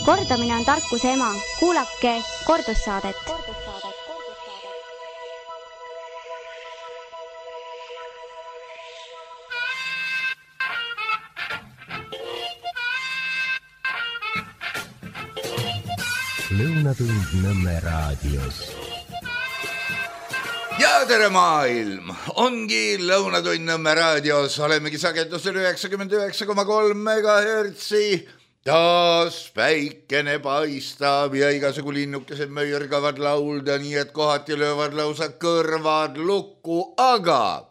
Kordamine on tarkuse ema. Kuulake kordussaadet. Lõunatund Nõmme raadios. Ja tere maailm! Ongi Lõunatund Nõmme raadios. Olemegi sagedusel 99,3 megahertsi. Taas päikene paistab ja igasugu linnukesed möirgavad laulda, nii et kohati löövad lausa kõrvad lukku, aga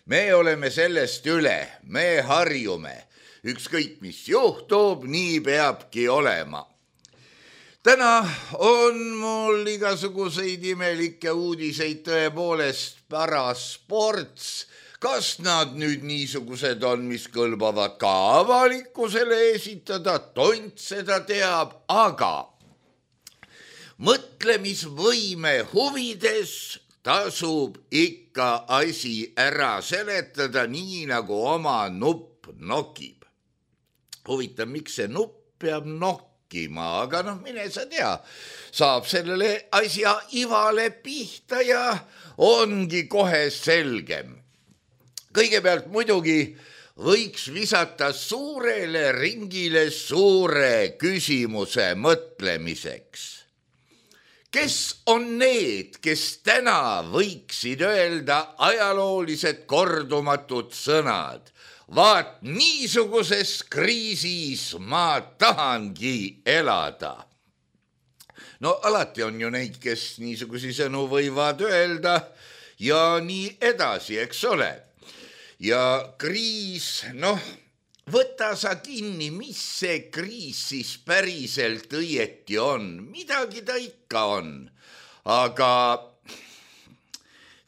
me oleme sellest üle, me harjume. Ükskõik mis juhtub, nii peabki olema. Täna on mul igasuguseid imelikke uudiseid tõepoolest parasports. Kas nad nüüd niisugused on, mis kõlbavad ka avalikkusele esitada, tont seda teab, aga mõtlemisvõime huvides tasub ikka asi ära seletada nii, nagu oma nupp nokib. Huvitav, miks see nupp peab nokkima, aga mine sa tea, saab sellele asja ivale pihta ja ongi kohe selgem. Kõigepealt muidugi võiks visata suurele ringile suure küsimuse mõtlemiseks. Kes on need, kes täna võiksid öelda ajaloolised kordumatud sõnad? Vaat niisuguses kriisis ma tahangi elada. No alati on ju neid, kes niisugusi sõnu võivad öelda ja nii edasi, eks ole. Ja kriis, võta sa kinni, mis see kriis siis päriselt õieti on. Midagi ta ikka on. Aga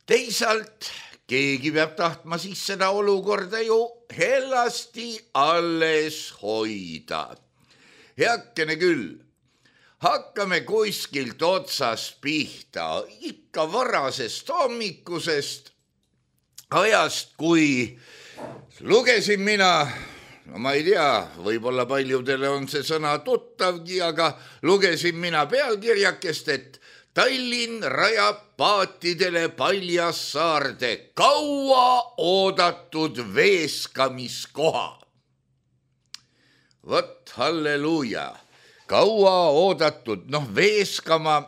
teisalt keegi peab tahtma siis seda olukorda ju hellasti alles hoida. Heakene küll, hakkame kuskilt otsast pihta, ikka varasest hommikusest ajast, kui lugesin mina, ma ei tea, võib-olla paljudele on see sõna tuttavgi, aga lugesin mina pealkirjakest, et Tallinn rajab paatidele Paljassaarde kaua oodatud veeskamiskoha. Vot, halleluuja, kaua oodatud, veeskama,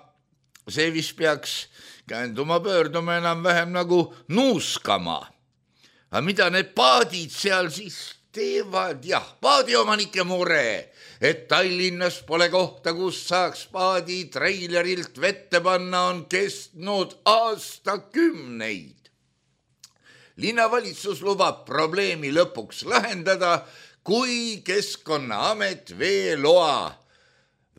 see vist peaks käänduma pöörduma enam-vähem nagu nuuskama. Aga mida need paadid seal siis teevad? Jah, paadiomanike mure, et Tallinnas pole kohta, kus saaks paadi treilerilt vette panna, on kestnud aastakümneid. Linnavalitsus lubab probleemi lõpuks lahendada, kui Keskkonnaamet veeloa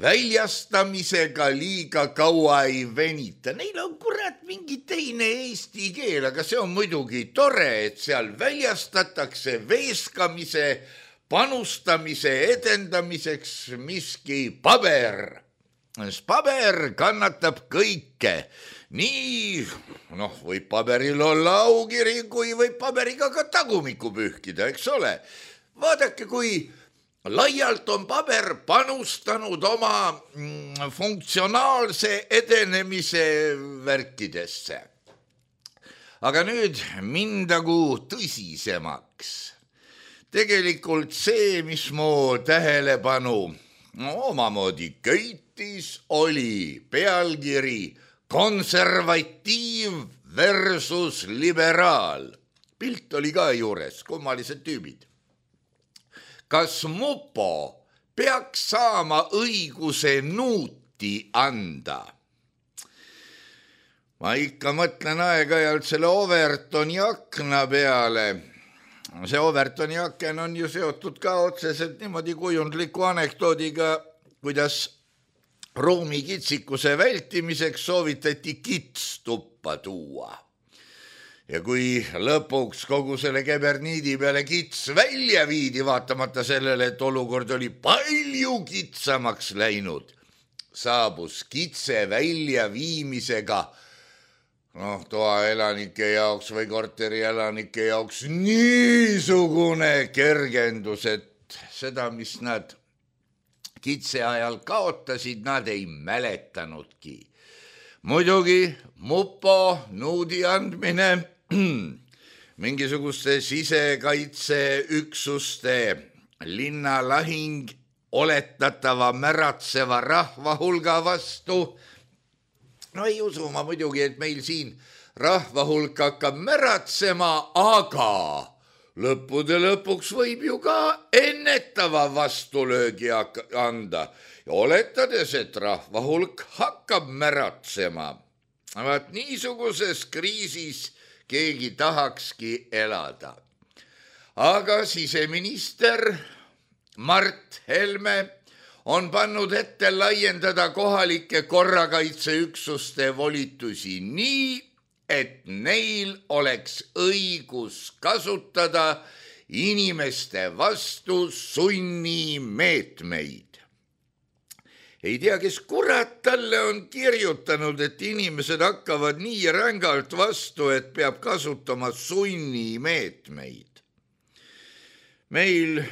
väljastamisega liiga kaua ei venita. Neil on kurat mingi teine eesti keel, aga see on muidugi tore, et seal väljastatakse veeskamise, panustamise edendamiseks miski paber. Paber kannatab kõike. Nii, võib paberil olla aukiri, kui võib paberiga ka tagumikku pühkida, eks ole. Vaadake, kui laialt on paber panustanud oma funktsionaalse edenemise värkidesse. Aga nüüd mindagu tõsisemaks. Tegelikult see, mis mu tähelepanu omamoodi köitis, oli pealkiri konservatiiv versus liberaal. Pilt oli ka juures, kummalised tüübid. Kas mupo peaks saama õiguse nuuti anda? Ma ikka mõtlen aeg-ajalt selle Overtoni akna peale. See Overtoni aken on ju seotud ka otseselt niimoodi kujundliku anekdoodiga, kuidas ruumikitsikuse vältimiseks soovitati kits tuppa tuua. Ja kui lõpuks kogu selle keberniidi peale kits välja viidi, vaatamata sellele, et olukord oli palju kitsamaks läinud, saabus kitse välja viimisega toaelanike jaoks või korterielanike jaoks niisugune kergendus, et seda, mis nad kitse ajal kaotasid, nad ei mäletanudki. Muidugi mupo nuudi andmine mingisuguste sisekaitseüksuste linnalahing oletatava märatseva rahva hulga vastu. No ei usu ma muidugi, et meil siin rahva hulk hakkab märatsema, aga lõppude lõpuks võib ju ka ennetava vastulöögi anda ja oletades, et rahva hulk hakkab märatsema. Vaat niisuguses kriisis keegi tahakski elada. Aga siseminister Mart Helme on pannud ette laiendada kohalike korrakaitseüksuste volitusi nii, et neil oleks õigus kasutada inimeste vastu sunnimeetmeid. Ei tea, kes kurat talle on kirjutanud, et inimesed hakkavad nii rängalt vastu, et peab kasutama sunnimeetmeid. Meil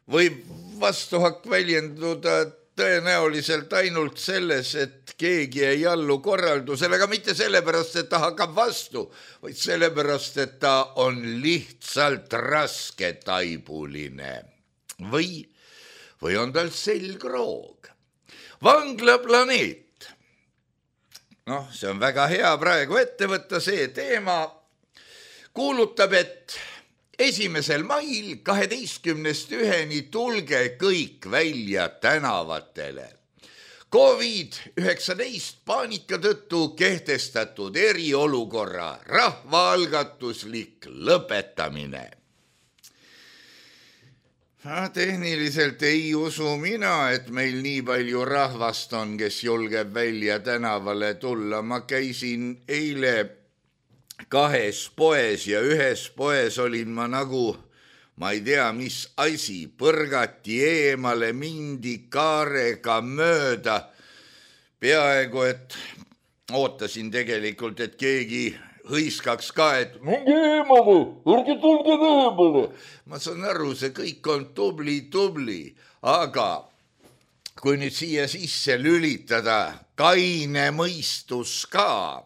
võib vastuhakk väljenduda tõenäoliselt ainult selles, et keegi ei allu korraldusele, aga mitte sellepärast, et ta hakkab vastu, vaid sellepärast, et ta on lihtsalt rasketaibuline või on tal selgroog. Vanglaplaneet. Noh, see on väga hea praegu ette võtta see teema. Kuulutab, et 1. mail 12-1 tulge kõik välja tänavatele. COVID-19 paanika tõttu kehtestatud eriolukorra rahvaalgatuslik lõpetamine. Tehniliselt ei usu mina, et meil nii palju rahvast on, kes julgeb välja tänavale tulla. Ma käisin eile 2 poes ja 1 poes olin ma nagu, ma ei tea, mis asi, põrgati eemale, mindi kaarega mööda. Peaaegu, et ootasin tegelikult, et keegi hõiskaks ka, et minge eemale, ärge tulge eemale. Ma saan aru, see kõik on tubli, aga kui nüüd siia sisse lülitada kaine mõistus ka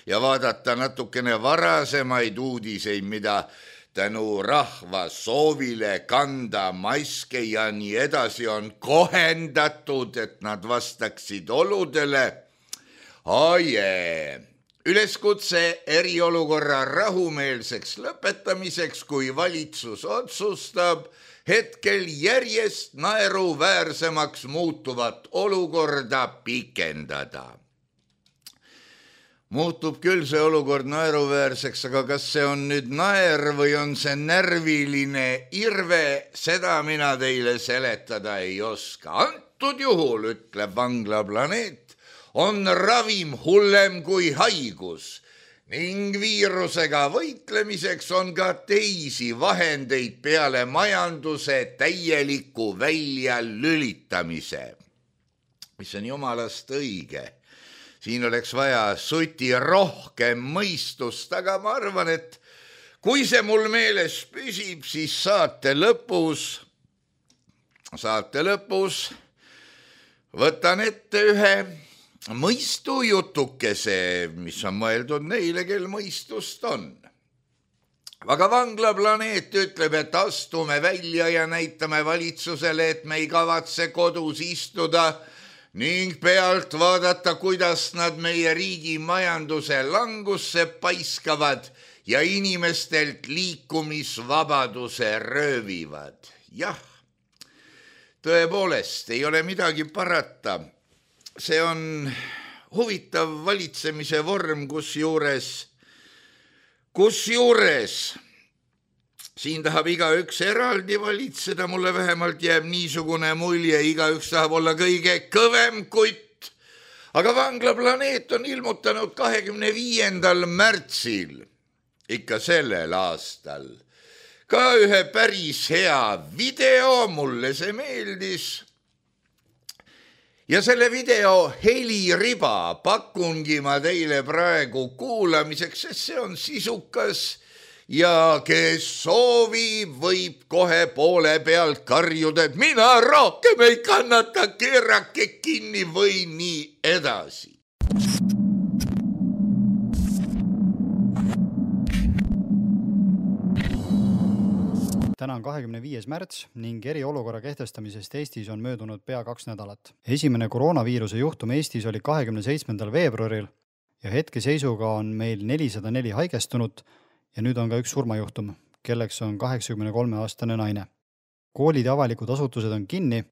ja vaadata natukene varasemaid uudiseid, mida tänu rahva soovile kanda maske ja nii edasi on kohendatud, et nad vastaksid oludele. Üleskutse eriolukorra rahumeelseks lõpetamiseks, kui valitsus otsustab hetkel järjest naeruväärsemaks muutuvat olukorda pikendada. Muutub küll see olukord naeruväärseks, aga kas see on nüüd naer või on see närviline irve, seda mina teile seletada ei oska. Antud juhul, ütleb Vanglaplaneet, on ravim hullem kui haigus ning viirusega võitlemiseks on ka teisi vahendeid peale majanduse täieliku väljalülitamise. Mis on jumalast õige. Siin oleks vaja suti rohkem mõistust, aga ma arvan, et kui see mul meeles püsib, siis saate lõpus võtan ette ühe mõistujutukese, mis on mõeldud neile, kel mõistust on. Aga Vanglaplaneet ütleb, et astume välja ja näitame valitsusele, et me ei kavatse kodus istuda ning pealt vaadata, kuidas nad meie riigi majanduse langusse paiskavad ja inimestelt liikumisvabaduse röövivad. Jah, tõepoolest, ei ole midagi parata. See on huvitav valitsemise vorm, kusjuures siin tahab igaüks eraldi valitseda, mulle vähemalt jääb niisugune mulje, igaüks tahab olla kõige kõvem kutt. Aga Vanglaplaneet on ilmutanud 25. märtsil, ikka sellel aastal, ka ühe päris hea video, mulle see meeldis. Ja selle video heliriba pakungi ma teile praegu kuulamiseks, sest see on sisukas ja kes soovib, võib kohe poole pealt karjuda, et mina rohkem ei kannata, keerake kinni või nii edasi. Täna on 25. märts ning eriolukorra kehtestamisest Eestis on möödunud pea 2 nädalat. Esimene koroonaviiruse juhtum Eestis oli 27. veebruaril ja hetkeseisuga on meil 404 haigestunut ja nüüd on ka üks surmajuhtum, kelleks on 83-aastane naine. Koolid ja avalikud asutused on kinni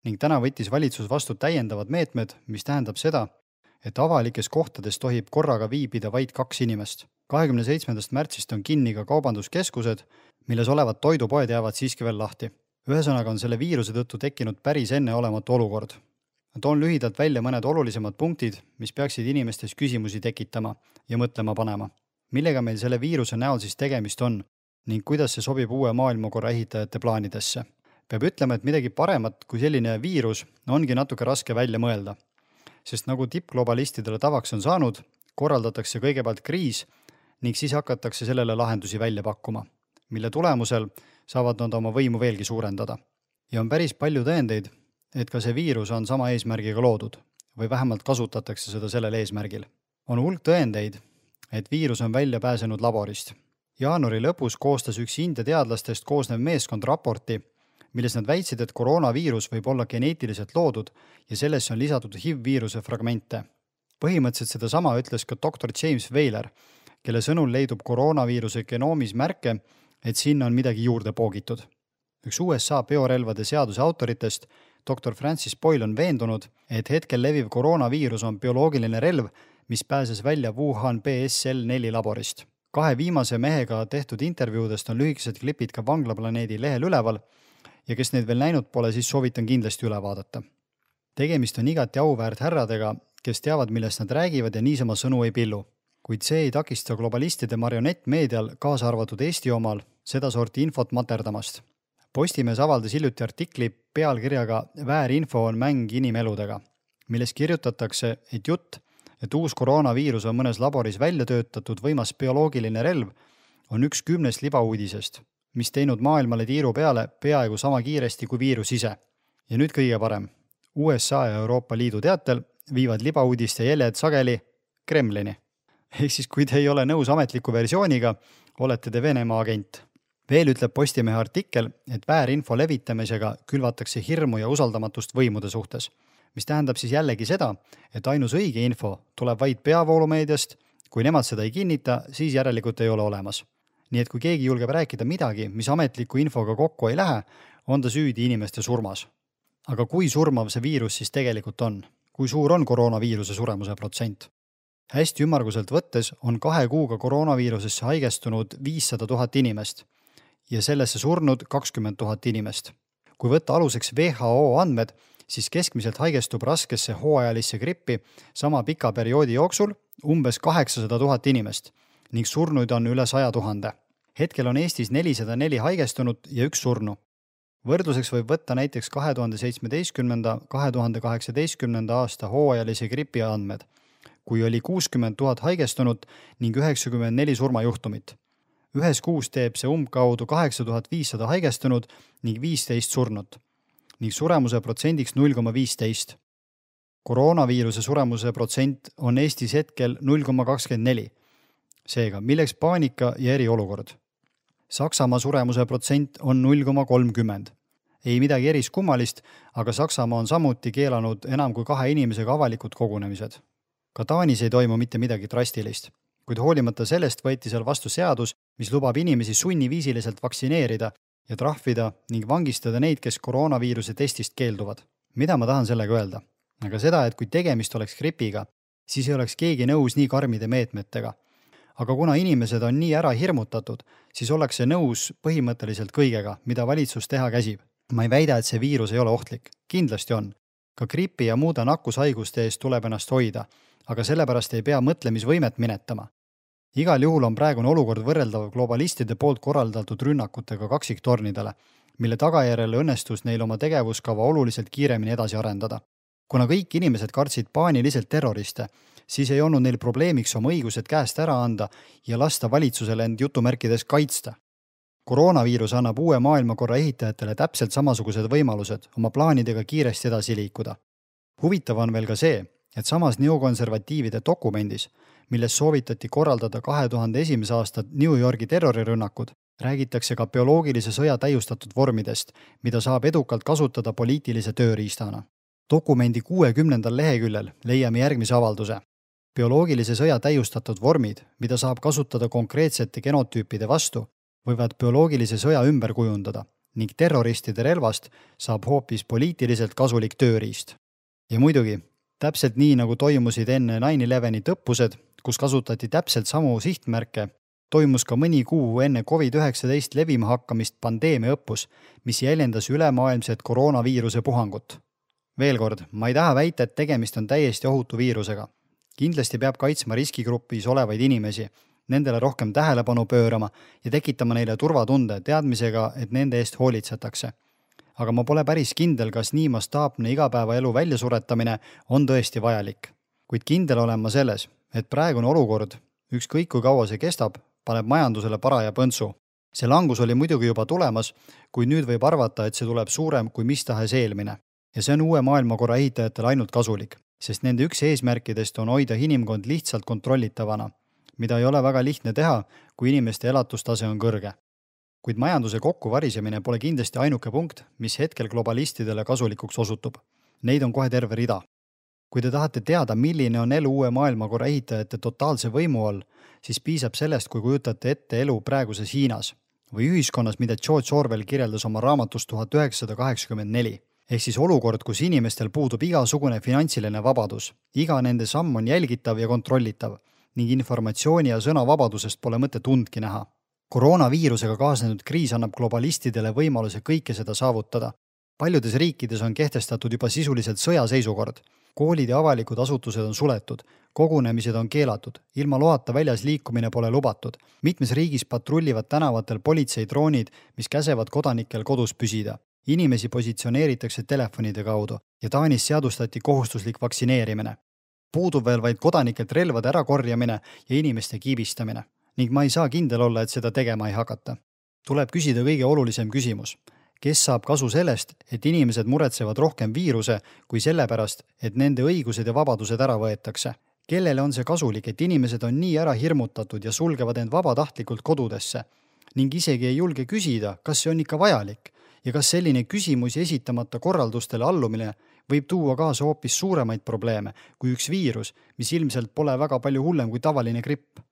ning täna võttis valitsus vastu täiendavad meetmed, mis tähendab seda, et avalikes kohtades tohib korraga viibida vaid 2 inimest. 27. märtsist on kinni ka kaubanduskeskused, milles olevad toidupoed jäävad siiski veel lahti. Ühesõnaga on selle viiruse tõttu tekkinud päris enneolematu olukord. Toon lühidalt välja mõned olulisemad punktid, mis peaksid inimestes küsimusi tekitama ja mõtlema panema. Millega meil selle viiruse näol siis tegemist on ning kuidas see sobib uue maailmakorra ehitajate plaanidesse. Peab ütlema, et midagi paremat kui selline viirus ongi natuke raske välja mõelda, sest nagu tippglobalistidele tavaks on saanud, korraldatakse kõigepealt kriis ning siis hakatakse sellele lahendusi välja pakkuma, mille tulemusel saavad nad oma võimu veelgi suurendada. Ja on päris palju tõendeid, et ka see viirus on sama eesmärgiga loodud või vähemalt kasutatakse seda sellel eesmärgil. On hulk tõendeid, et viirus on välja pääsenud laborist. Jaanuari lõpus koostas üks India teadlastest koosnev meeskond raporti, milles nad väitsid, et koroonaviirus võib olla geneetiliselt loodud ja sellesse on lisatud HIV-viiruse fragmente. Põhimõtteliselt seda sama ütles ka dr. James Weyler, kelle sõnul leidub koroonaviiruse genoomis märke, et sinna on midagi juurde poogitud. Üks USA biorelvade seaduse autoritest, dr. Francis Boyle on veendunud, et hetkel leviv koroonaviirus on bioloogiline relv, mis pääses välja Wuhan BSL-4 laborist. 2 viimase mehega tehtud intervjuudest on lühikesed klipid ka Vanglaplaneedi lehel üleval ja kes neid veel näinud pole, siis soovitan kindlasti üle vaadata. Tegemist on igati auväärt härradega, kes teavad, millest nad räägivad ja niisama sõnu ei pillu. Kuid see ei takista globalistide marionettmeedial, kaasa arvatud Eesti omal, seda sorti infot materdamast. Postimees avaldas hiljuti artikli pealkirjaga Väärinfo on mäng inimeludega, milles kirjutatakse, et jutt, et uus koroonaviirus on mõnes laboris välja töötatud võimas bioloogiline relv, on üks 10 libauudisest, mis teinud maailmale tiiru peale peaaegu sama kiiresti kui viirus ise. Ja nüüd kõige parem. USA ja Euroopa Liidu teatel viivad libauudiste jäljed sageli Kremlini. Ehk siis, kui te ei ole nõus ametliku versiooniga, olete te Venemaa agent. Veel ütleb Postimehe artikkel, et väärinfo levitamisega külvatakse hirmu ja usaldamatust võimude suhtes, mis tähendab siis jällegi seda, et ainus õige info tuleb vaid peavoolumeediast, kui nemad seda ei kinnita, siis järelikult ei ole olemas. Nii et kui keegi julgeb rääkida midagi, mis ametliku infoga kokku ei lähe, on ta süüdi inimeste surmas. Aga kui surmav see viirus siis tegelikult on? Kui suur on koroonaviiruse suremuse protsent? Hästi ümmarguselt võttes on 2 kuuga koroonaviirusesse haigestunud 500 000 inimest ja sellesse surnud 20 000 inimest. Kui võtta aluseks WHO andmed, siis keskmiselt haigestub raskesse hooajalisse grippi sama pika perioodi jooksul umbes 800 000 inimest ning surnuid on üle 100 000. Hetkel on Eestis 404 haigestunut ja 1 surnu. Võrdluseks võib võtta näiteks 2017-2018 aasta hooajalise gripi andmed, kui oli 60 000 haigestunut ning 94 surmajuhtumit. Ühes kuus teeb see umbkaudu 8500 haigestunut ning 15 surnut ning suremuse protsendiks 0,15. Koroonaviiruse suremuse protsent on Eestis hetkel 0,24. Seega, milleks paanika ja eriolukord? Saksamaa suremuse protsent on 0,30. Ei midagi eriskummalist, aga Saksamaa on samuti keelanud enam kui 2 inimesega avalikud kogunemised. Ka Taanis ei toimu mitte midagi drastilist, kuid hoolimata sellest võeti seal vastu seadus, mis lubab inimesi sunniviisiliselt vaktsineerida ja trahvida ning vangistada neid, kes koroonaviiruse testist keelduvad. Mida ma tahan sellega öelda? Aga seda, et kui tegemist oleks gripiga, siis ei oleks keegi nõus nii karmide meetmetega. Aga kuna inimesed on nii ära hirmutatud, siis ollakse nõus põhimõtteliselt kõigega, mida valitsus teha käsib. Ma ei väida, et see viirus ei ole ohtlik. Kindlasti on. Ka gripi ja muude nakkushaiguste eest tuleb ennast hoida, aga sellepärast ei pea mõtlemisvõimet minetama. Igal juhul on praegune olukord võrreldav globalistide poolt korraldatud rünnakutega kaksiktornidele, mille tagajärjel õnnestus neil oma tegevuskava oluliselt kiiremini edasi arendada. Kuna kõik inimesed kartsid paaniliselt terroriste, siis ei olnud neil probleemiks oma õigused käest ära anda ja lasta valitsusele end jutumärkides kaitsta. Koroonaviirus annab uue maailmakorra ehitajatele täpselt samasugused võimalused oma plaanidega kiiresti edasi liikuda. Huvitav on veel ka see, et samas neokonservatiivide dokumendis, milles soovitati korraldada 2001. aasta New Yorgi terrorirünnakud, räägitakse ka bioloogilise sõja täiustatud vormidest, mida saab edukalt kasutada poliitilise tööriistana. Dokumendi 60. leheküljel leiame järgmise avalduse. Bioloogilise sõja täiustatud vormid, mida saab kasutada konkreetsete genotüüpide vastu, võivad bioloogilise sõja ümber kujundada ning terroristide relvast saab hoopis poliitiliselt kasulik tööriist. Ja muidugi, täpselt nii nagu toimusid enne 9/11 õppused, kus kasutati täpselt samu sihtmärke, toimus ka mõni kuu enne COVID-19 levima hakkamist pandeemia õppus, mis jäljendas ülemaailmset koroonaviiruse puhangut. Veel kord, ma ei taha väita, et tegemist on täiesti ohutu viirusega. Kindlasti peab kaitsma riskigrupis olevaid inimesi, nendele rohkem tähelepanu pöörama ja tekitama neile turvatunde teadmisega, et nende eest hoolitsetakse. Aga ma pole päris kindel, kas nii mastaapne igapäevaelu väljasuretamine on tõesti vajalik. Kuid kindel olen ma selles, et praegune olukord, ükskõik kui kaua see kestab, paneb majandusele paraja põntsu. See langus oli muidugi juba tulemas, kuid nüüd võib arvata, et see tuleb suurem kui mis tahes eelmine. Ja see on uue maailmakorra ehitajatele ainult kasulik, sest nende üks eesmärkidest on hoida inimkond lihtsalt kontrollitavana, mida ei ole väga lihtne teha, kui inimeste elatustase on kõrge. Kuid majanduse kokkuvarisemine pole kindlasti ainuke punkt, mis hetkel globalistidele kasulikuks osutub. Neid on kohe terve rida. Kui te tahate teada, milline on elu uue maailmakorra ehitajate totaalse võimu all, siis piisab sellest, kui kujutate ette elu praeguses Hiinas või ühiskonnas, mida George Orwell kirjeldas oma raamatus 1984. Ehk siis olukord, kus inimestel puudub igasugune finantsiline vabadus. Iga nende samm on jälgitav ja kontrollitav ning informatsiooni ja sõnavabadusest pole mõtet undki näha. Koroonaviirusega kaasnenud kriis annab globalistidele võimaluse kõike seda saavutada. Paljudes riikides on kehtestatud juba sisuliselt sõjaseisukord. Koolid ja avalikud asutused on suletud, kogunemised on keelatud, ilma loata väljas liikumine pole lubatud. Mitmes riigis patrullivad tänavatel politseidroonid, mis käsevad kodanikel kodus püsida. Inimesi positsioneeritakse telefonide kaudu ja Taanis seadustati kohustuslik vaktsineerimine. Puudub veel vaid kodanikelt relvade ärakorjamine ja inimeste kiibistamine. Ning ma ei saa kindel olla, et seda tegema ei hakata. Tuleb küsida kõige olulisem küsimus. Kes saab kasu sellest, et inimesed muretsevad rohkem viiruse kui sellepärast, et nende õigused ja vabadused ära võetakse? Kellele on see kasulik, et inimesed on nii ära hirmutatud ja sulgevad end vabatahtlikult kodudesse? Ning isegi ei julge küsida, kas see on ikka vajalik? Ja kas selline küsimusi esitamata korraldustele allumine võib tuua kaasa hoopis suuremaid probleeme kui üks viirus, mis ilmselt pole väga palju hullem kui tavaline gripp?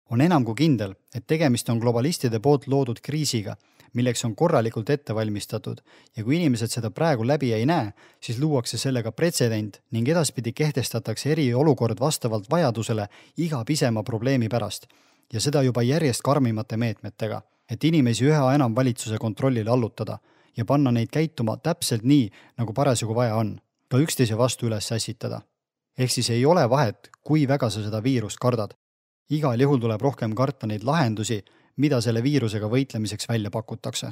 On enam kui kindel, et tegemist on globalistide poolt loodud kriisiga, milleks on korralikult ette valmistatud ja kui inimesed seda praegu läbi ei näe, siis luuakse sellega pretsedent ning edaspidi kehtestatakse eriolukord vastavalt vajadusele iga pisema probleemi pärast ja seda juba järjest karmimate meetmetega, et inimesi üha enam valitsuse kontrollile allutada ja panna neid käituma täpselt nii, nagu parasjagu vaja on, ka üksteise vastu üles ässitada. Ehk siis ei ole vahet, kui väga sa seda viirust kardad. Igal juhul tuleb rohkem karta neid lahendusi, mida selle viirusega võitlemiseks välja pakutakse.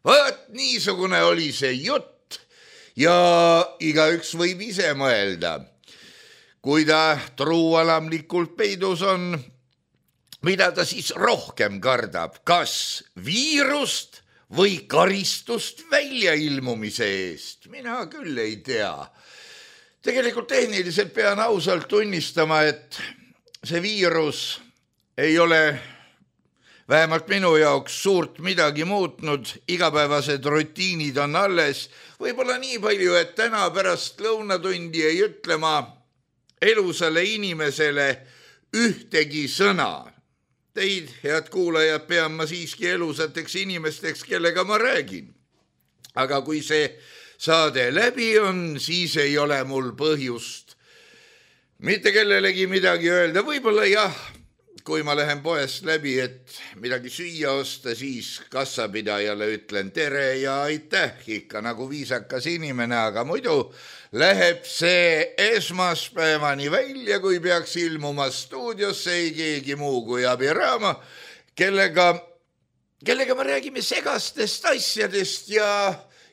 Võt, niisugune oli see jutt ja igaüks võib ise mõelda. Kui ta truualamlikult peidus on, mida ta siis rohkem kardab, kas viirust või karistust väljailmumise eest? Mina küll ei tea. Tegelikult tehniliselt pean ausalt tunnistama, et see viirus ei ole vähemalt minu jaoks suurt midagi muutnud, igapäevased rutiinid on alles. Võib-olla nii palju, et täna pärast lõunatundi ei ütle ma elusale inimesele ühtegi sõna. Teid, head kuulajad, pean ma siiski elusateks inimesteks, kellega ma räägin. Aga kui see saade läbi on, siis ei ole mul põhjust mitte kellelegi midagi öelda. Võib-olla jah, kui ma lähen poest läbi, et midagi süüa osta, siis kassapidajale ütlen tere ja aitäh, ikka nagu viisakas inimene, aga muidu läheb see esmaspäevani välja, kui peaks ilmuma stuudiosse ei keegi muu kui Abiraama, kellega me räägime segastest asjadest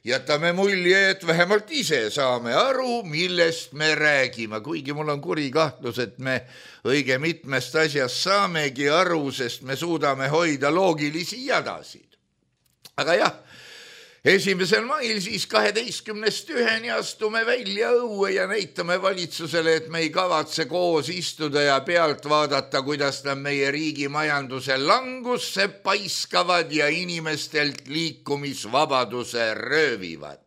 jätame mulje, et vähemalt ise saame aru, millest me räägime, kuigi mul on kuri kahtlus, et me õige mitmest asjast saamegi aru, sest me suudame hoida loogilisi jadasid. Aga jah, 1. mail siis 12-1 astume välja õue ja näitame valitsusele, et me ei kavatse koos istuda ja pealt vaadata, kuidas nad meie riigi majanduse langusse paiskavad ja inimestelt liikumisvabaduse röövivad.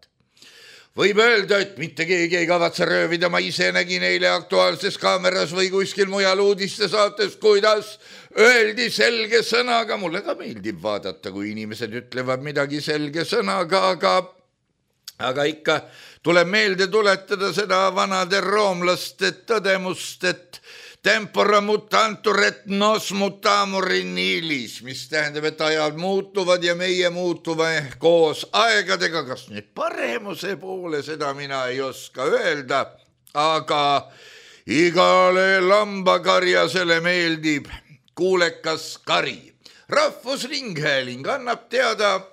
Võib öelda, et mitte keegi ei kavatse röövida, ma ise nägin eile Aktuaalses Kaameras või kuskil mujal uudiste saates, kuidas öeldi selge sõnaga, mulle ka meeldib vaadata, kui inimesed ütlevad midagi selge sõnaga, aga ikka tuleb meelde tuletada seda vanade roomlaste tõdemust, et tempora mutantur et nos mutamur in illis, mis tähendab, et ajad muutuvad ja meie muutume koos aegadega, kas nüüd paremuse poole, seda mina ei oska öelda, aga igale lambakarjasele meeldib kuulekas kari. Rahvusringhääling annab teada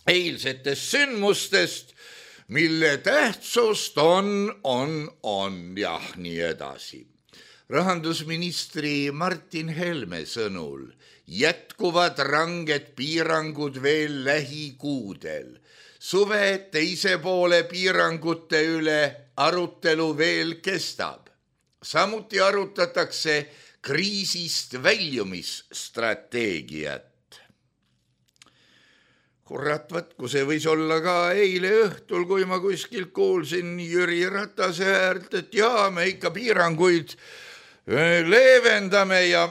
eilsetest sündmustest, mille tähtsust on, jah, nii edasi. Rahandusministri Martin Helme sõnul jätkuvad ranged piirangud veel lähikuudel. Suve teise poole piirangute üle arutelu veel kestab. Samuti arutatakse kriisist väljumisstrateegiat. Kurat, kui see võis olla ka eile õhtul, kui ma kuskilt kuulsin Jüri Ratase äärt, et jaa, me ikka piiranguid leevendame ja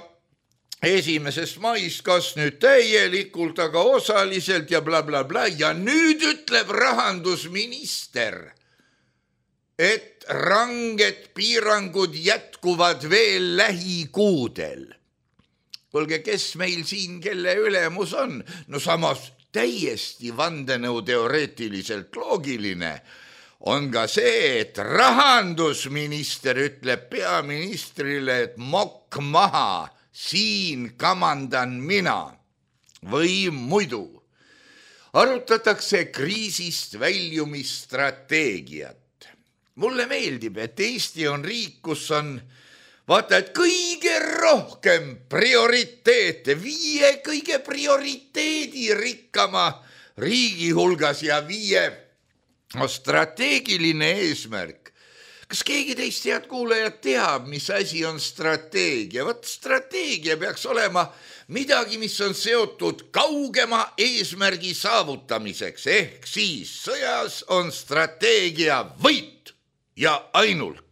1. maist kas nüüd täielikult, aga osaliselt ja blablabla. Ja nüüd ütleb rahandusminister, et ranged piirangud jätkuvad veel lähikuudel. Kuulge, kes meil siin, kelle ülemus on? No samas täiesti vandenõuteoreetiliselt loogiline on ka see, et rahandusminister ütleb peaministrile, et mokk maha, siin kamandan mina. Või muidu arutatakse kriisist väljumisstrateegiat. Mulle meeldib, et Eesti on riik, kus on vaata, et kõige rohkem prioriteete, 5 kõige prioriteedi rikkama riigi hulgas ja 5 strateegiline eesmärk. Kas keegi teist head kuulajad teab, mis asi on strateegia? Võt strateegia peaks olema midagi, mis on seotud kaugema eesmärgi saavutamiseks, ehk siis sõjas on strateegia võit ja ainult.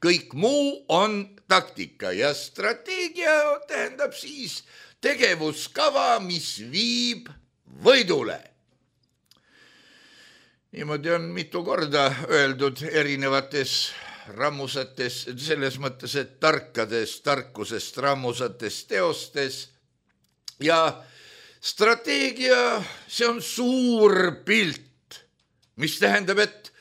Kõik muu on taktika ja strateegia tähendab siis tegevuskava, mis viib võidule. Niimoodi on mitu korda öeldud erinevates rammusates, selles mõttes, et tarkusest rammusates teostes. Ja strateegia, see on suur pilt, mis tähendab, et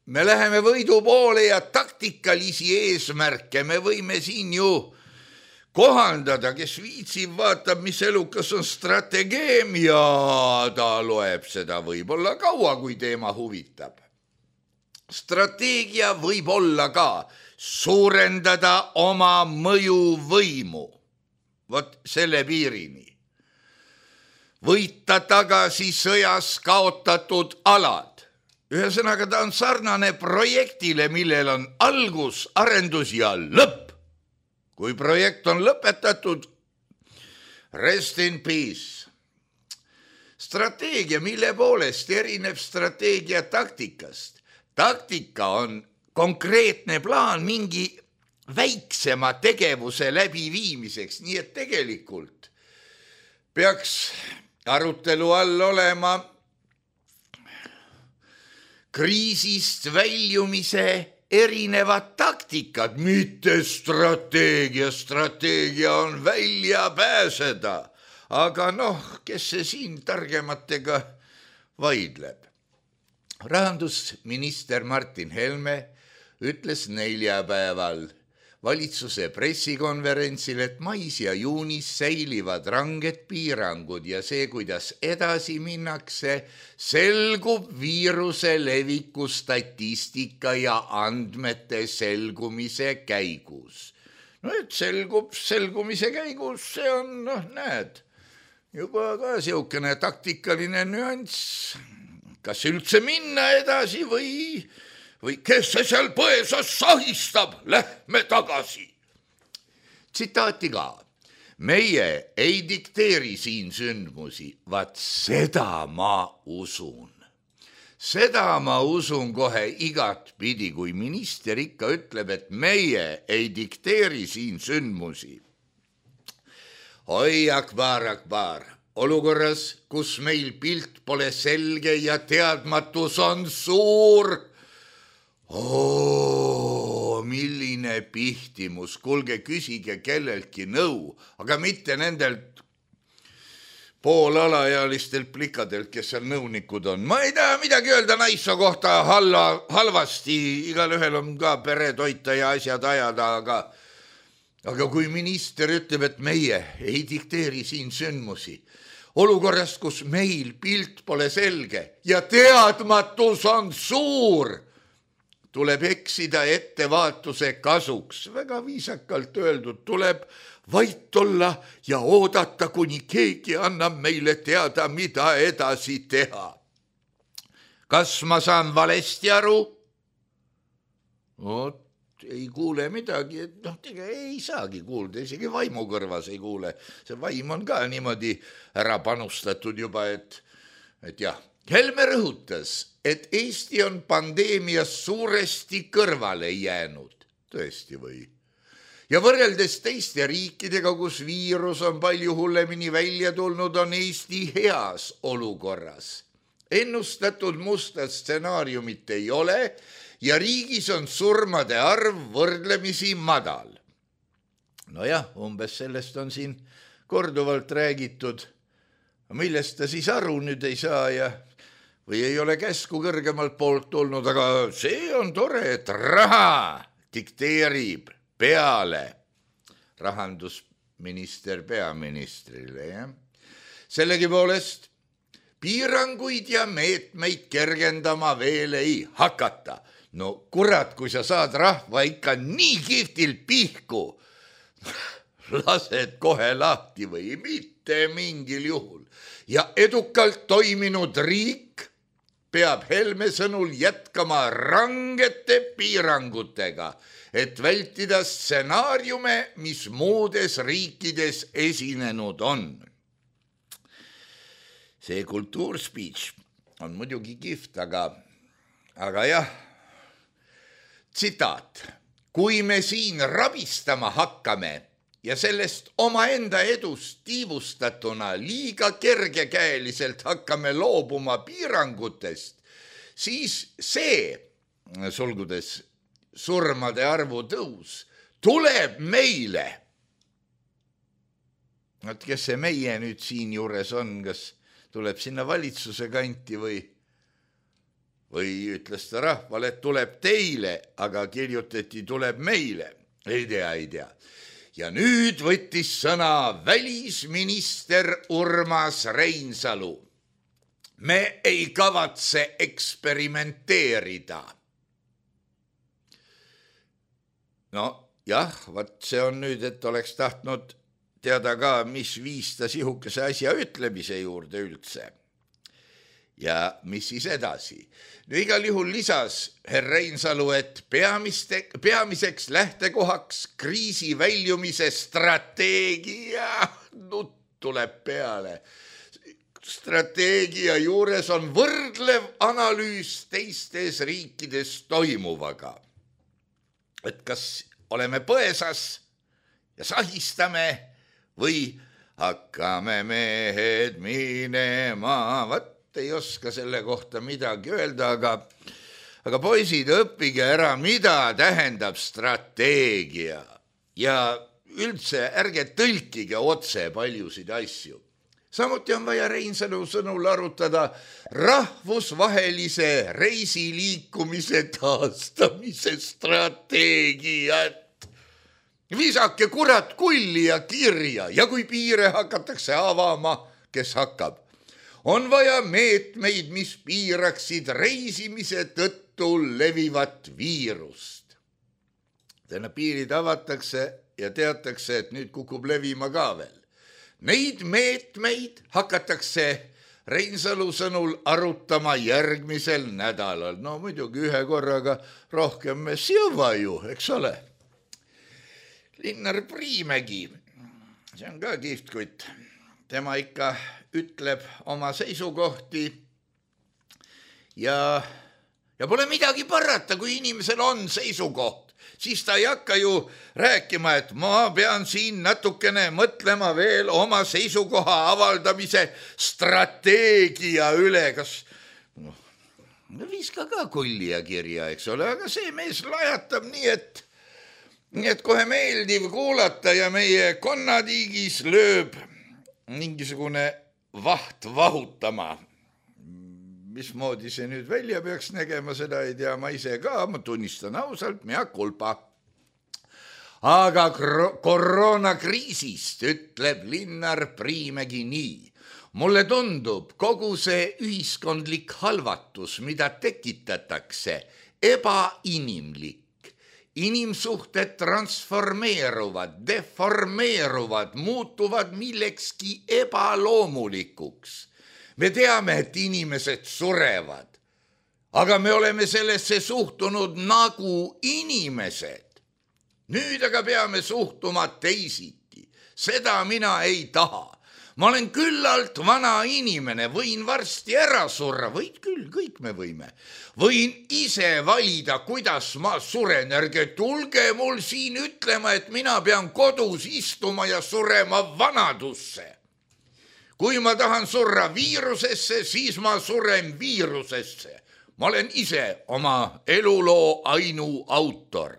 me läheme võidu poole ja taktikalisi eesmärke me võime siin ju kohandada, kes viitsib, vaatab, mis elukas on strateegeem ja ta loeb seda võib-olla kaua, kui teema huvitab. Strateegia võib olla ka suurendada oma mõjuvõimu. Vot selle piirini. Võita tagasi sõjas kaotatud alad. Ühesõnaga ta on sarnane projektile, millel on algus, arendus ja lõpp. Kui projekt on lõpetatud, rest in peace. Strateegia, mille poolest erineb strateegia taktikast? Taktika on konkreetne plaan mingi väiksema tegevuse läbiviimiseks, nii et tegelikult peaks arutelu all olema kriisist väljumise erinevad taktikad, mitte strateegia. Strateegia on välja pääseda, aga kes see siin targematega vaidleb? Rahandusminister Martin Helme ütles neljapäeval valitsuse pressikonverentsil, et mais ja juunis säilivad ranged piirangud ja see, kuidas edasi minnakse, selgub viiruse leviku statistika ja andmete selgumise käigus. No et selgumise käigus, see on, näed, juba ka siukene taktikaline nüanss. Kas üldse minna edasi või kes see seal põesas sahistab, lähme tagasi. Tsitaati ka. Meie ei dikteeri siin sündmusi, vaat seda ma usun. Seda ma usun kohe igat pidi, kui minister ikka ütleb, et meie ei dikteeri siin sündmusi. Oi, akbar. Olukorras, kus meil pilt pole selge ja teadmatus on suur. Milline pihtimus, kuulge, küsige kelleltki nõu, aga mitte nendelt poolalaealistelt plikadelt, kes seal nõunikud on. Ma ei taha midagi öelda naissoo kohta halvasti, igal ühel on ka pere toita ja asjad ajada, aga kui minister ütleb, et meie ei dikteeri siin sündmusi, olukorrast, kus meil pilt pole selge ja teadmatus on suur, tuleb eksida ettevaatuse kasuks. Väga viisakalt öeldud, tuleb vait olla ja oodata, kuni keegi annab meile teada, mida edasi teha. Kas ma saan valesti aru? Ei kuule midagi, ei saagi kuulda, isegi vaimu kõrvas ei kuule. See vaim on ka niimoodi ära panustatud juba, et jah. Helme rõhutas, et Eesti on pandeemias suuresti kõrvale jäänud. Tõesti või? Ja võrreldes teiste riikidega, kus viirus on palju hullemini välja tulnud, on Eesti heas olukorras. Ennustatud musta stsenaariumit ei ole ja riigis on surmade arv võrdlemisi madal. Nojah, umbes sellest on siin korduvalt räägitud. Millest ta siis aru nüüd ei saa või ei ole käsku kõrgemalt poolt tulnud, aga see on tore, et raha dikteerib peale rahandusminister peaministrile. Sellegipoolest piiranguid ja meetmeid kergendama veel ei hakata. No kurat, kui sa saad rahva ikka nii kihvtilt pihku, lased kohe lahti või mitte mingil juhul. Ja edukalt toiminud riik peab Helme sõnul jätkama rangete piirangutega, et vältida stsenaariume, mis muudes riikides esinenud on. See kultuurspeech on muidugi kihvt, aga jah, tsitaat. Kui me siin rabistama hakkame ja sellest omaenda edust tiivustatuna liiga kergekäeliselt hakkame loobuma piirangutest, siis see, sulgudes surmade arvu tõus, tuleb meile. Kes see meie nüüd siin juures on, kas tuleb sinna valitsuse kanti või ütles ta rahvale, et tuleb teile, aga kirjutati tuleb meile. Ei tea. Ja nüüd võttis sõna välisminister Urmas Reinsalu. Me ei kavatse eksperimenteerida. No jah, vaat see on nüüd, et oleks tahtnud teada ka, mis viis ta sihukese asja ütlemise juurde üldse. Ja mis siis edasi? No igal juhul lisas herr Reinsalu, et peamiseks lähtekohaks kriisi väljumise strateegia, tuleb peale. Strateegia juures on võrdlev analüüs teistes riikides toimuvaga. Et kas oleme põesas ja sahistame või hakkame mehed minema, ei oska selle kohta midagi öelda, aga poisid, õppige ära, mida tähendab strateegia ja üldse ärge tõlkige otse paljusid asju. Samuti on vaja Reinsalu sõnul arutada rahvusvahelise reisiliikumise taastamise strateegiat. Visake kurat kulli ja kirja ja kui piire hakatakse avama, kes hakkab. On vaja meetmeid, mis piiraksid reisimise tõttu levivat viirust. Täna piirid avatakse ja teatakse, et nüüd kukub levima ka veel. Neid meetmeid hakatakse Reinsalu sõnul arutama järgmisel nädalal. No muidugi ühe korraga rohkem me siuva ju, eks ole. Linnar Priimägi, see on ka kihvtkutt. Tema ikka ütleb oma seisukohti ja pole midagi parata, kui inimesel on seisukoht. Siis ta ei hakka ju rääkima, et ma pean siin natukene mõtlema veel oma seisukoha avaldamise strateegia üle. Kas viska ka kulli ja kirja, eks ole, aga see mees lajatab nii, et kohe meeldiv kuulata ja meie konnatiigis lööb mingisugune vaht vahutama. Mismoodi see nüüd välja peaks nägema, seda ei tea ma ise ka, ma tunnistan ausalt, mea kulpa. Aga koroonakriisist ütleb Linnar Priimägi nii. Mulle tundub kogu see ühiskondlik halvatus, mida tekitatakse, ebainimlik. Inimsuhted transformeeruvad, deformeeruvad, muutuvad millekski ebaloomulikuks. Me teame, et inimesed surevad, aga me oleme sellesse suhtunud nagu inimesed. Nüüd aga peame suhtuma teisiti. Seda mina ei taha. Ma olen küllalt vana inimene, võin varsti ära surra, võid küll, kõik me võime. Võin ise valida, kuidas ma suren, ärge tulge mul siin ütlema, et mina pean kodus istuma ja surema vanadusse. Kui ma tahan surra viirusesse, siis ma suren viirusesse. Ma olen ise oma eluloo ainu autor.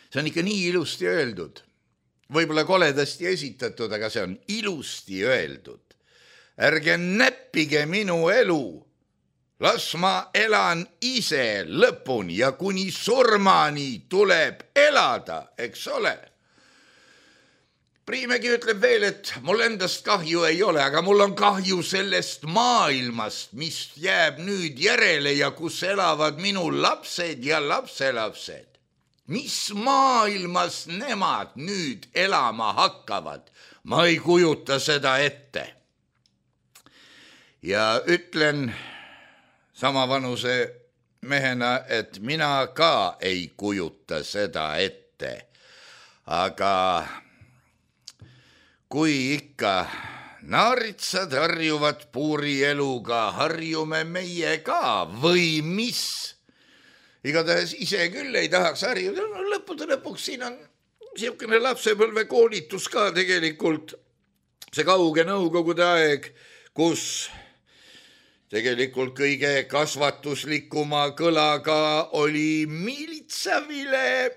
See on ikka nii ilusti öeldud. Võib-olla koledasti esitatud, aga see on ilusti öeldud. Ärge näppige minu elu. Las ma elan ise lõpuni ja kuni surmani tuleb elada, eks ole. Priimägi ütleb veel, et mul endast kahju ei ole, aga mul on kahju sellest maailmast, mis jääb nüüd järele ja kus elavad minu lapsed ja lapselapsed. Mis maailmas nemad nüüd elama hakkavad? Ma ei kujuta seda ette. Ja ütlen sama vanuse mehena, et mina ka ei kujuta seda ette. Aga kui ikka naaritsad harjuvad puurieluga, harjume meie ka või mis? Igatahes ise küll ei tahaks harjuda. Lõppude lõpuks siin on siukene lapsepõlve koolitus ka tegelikult. See kauge nõukogude aeg, kus tegelikult kõige kasvatuslikuma kõlaga oli miilitsavile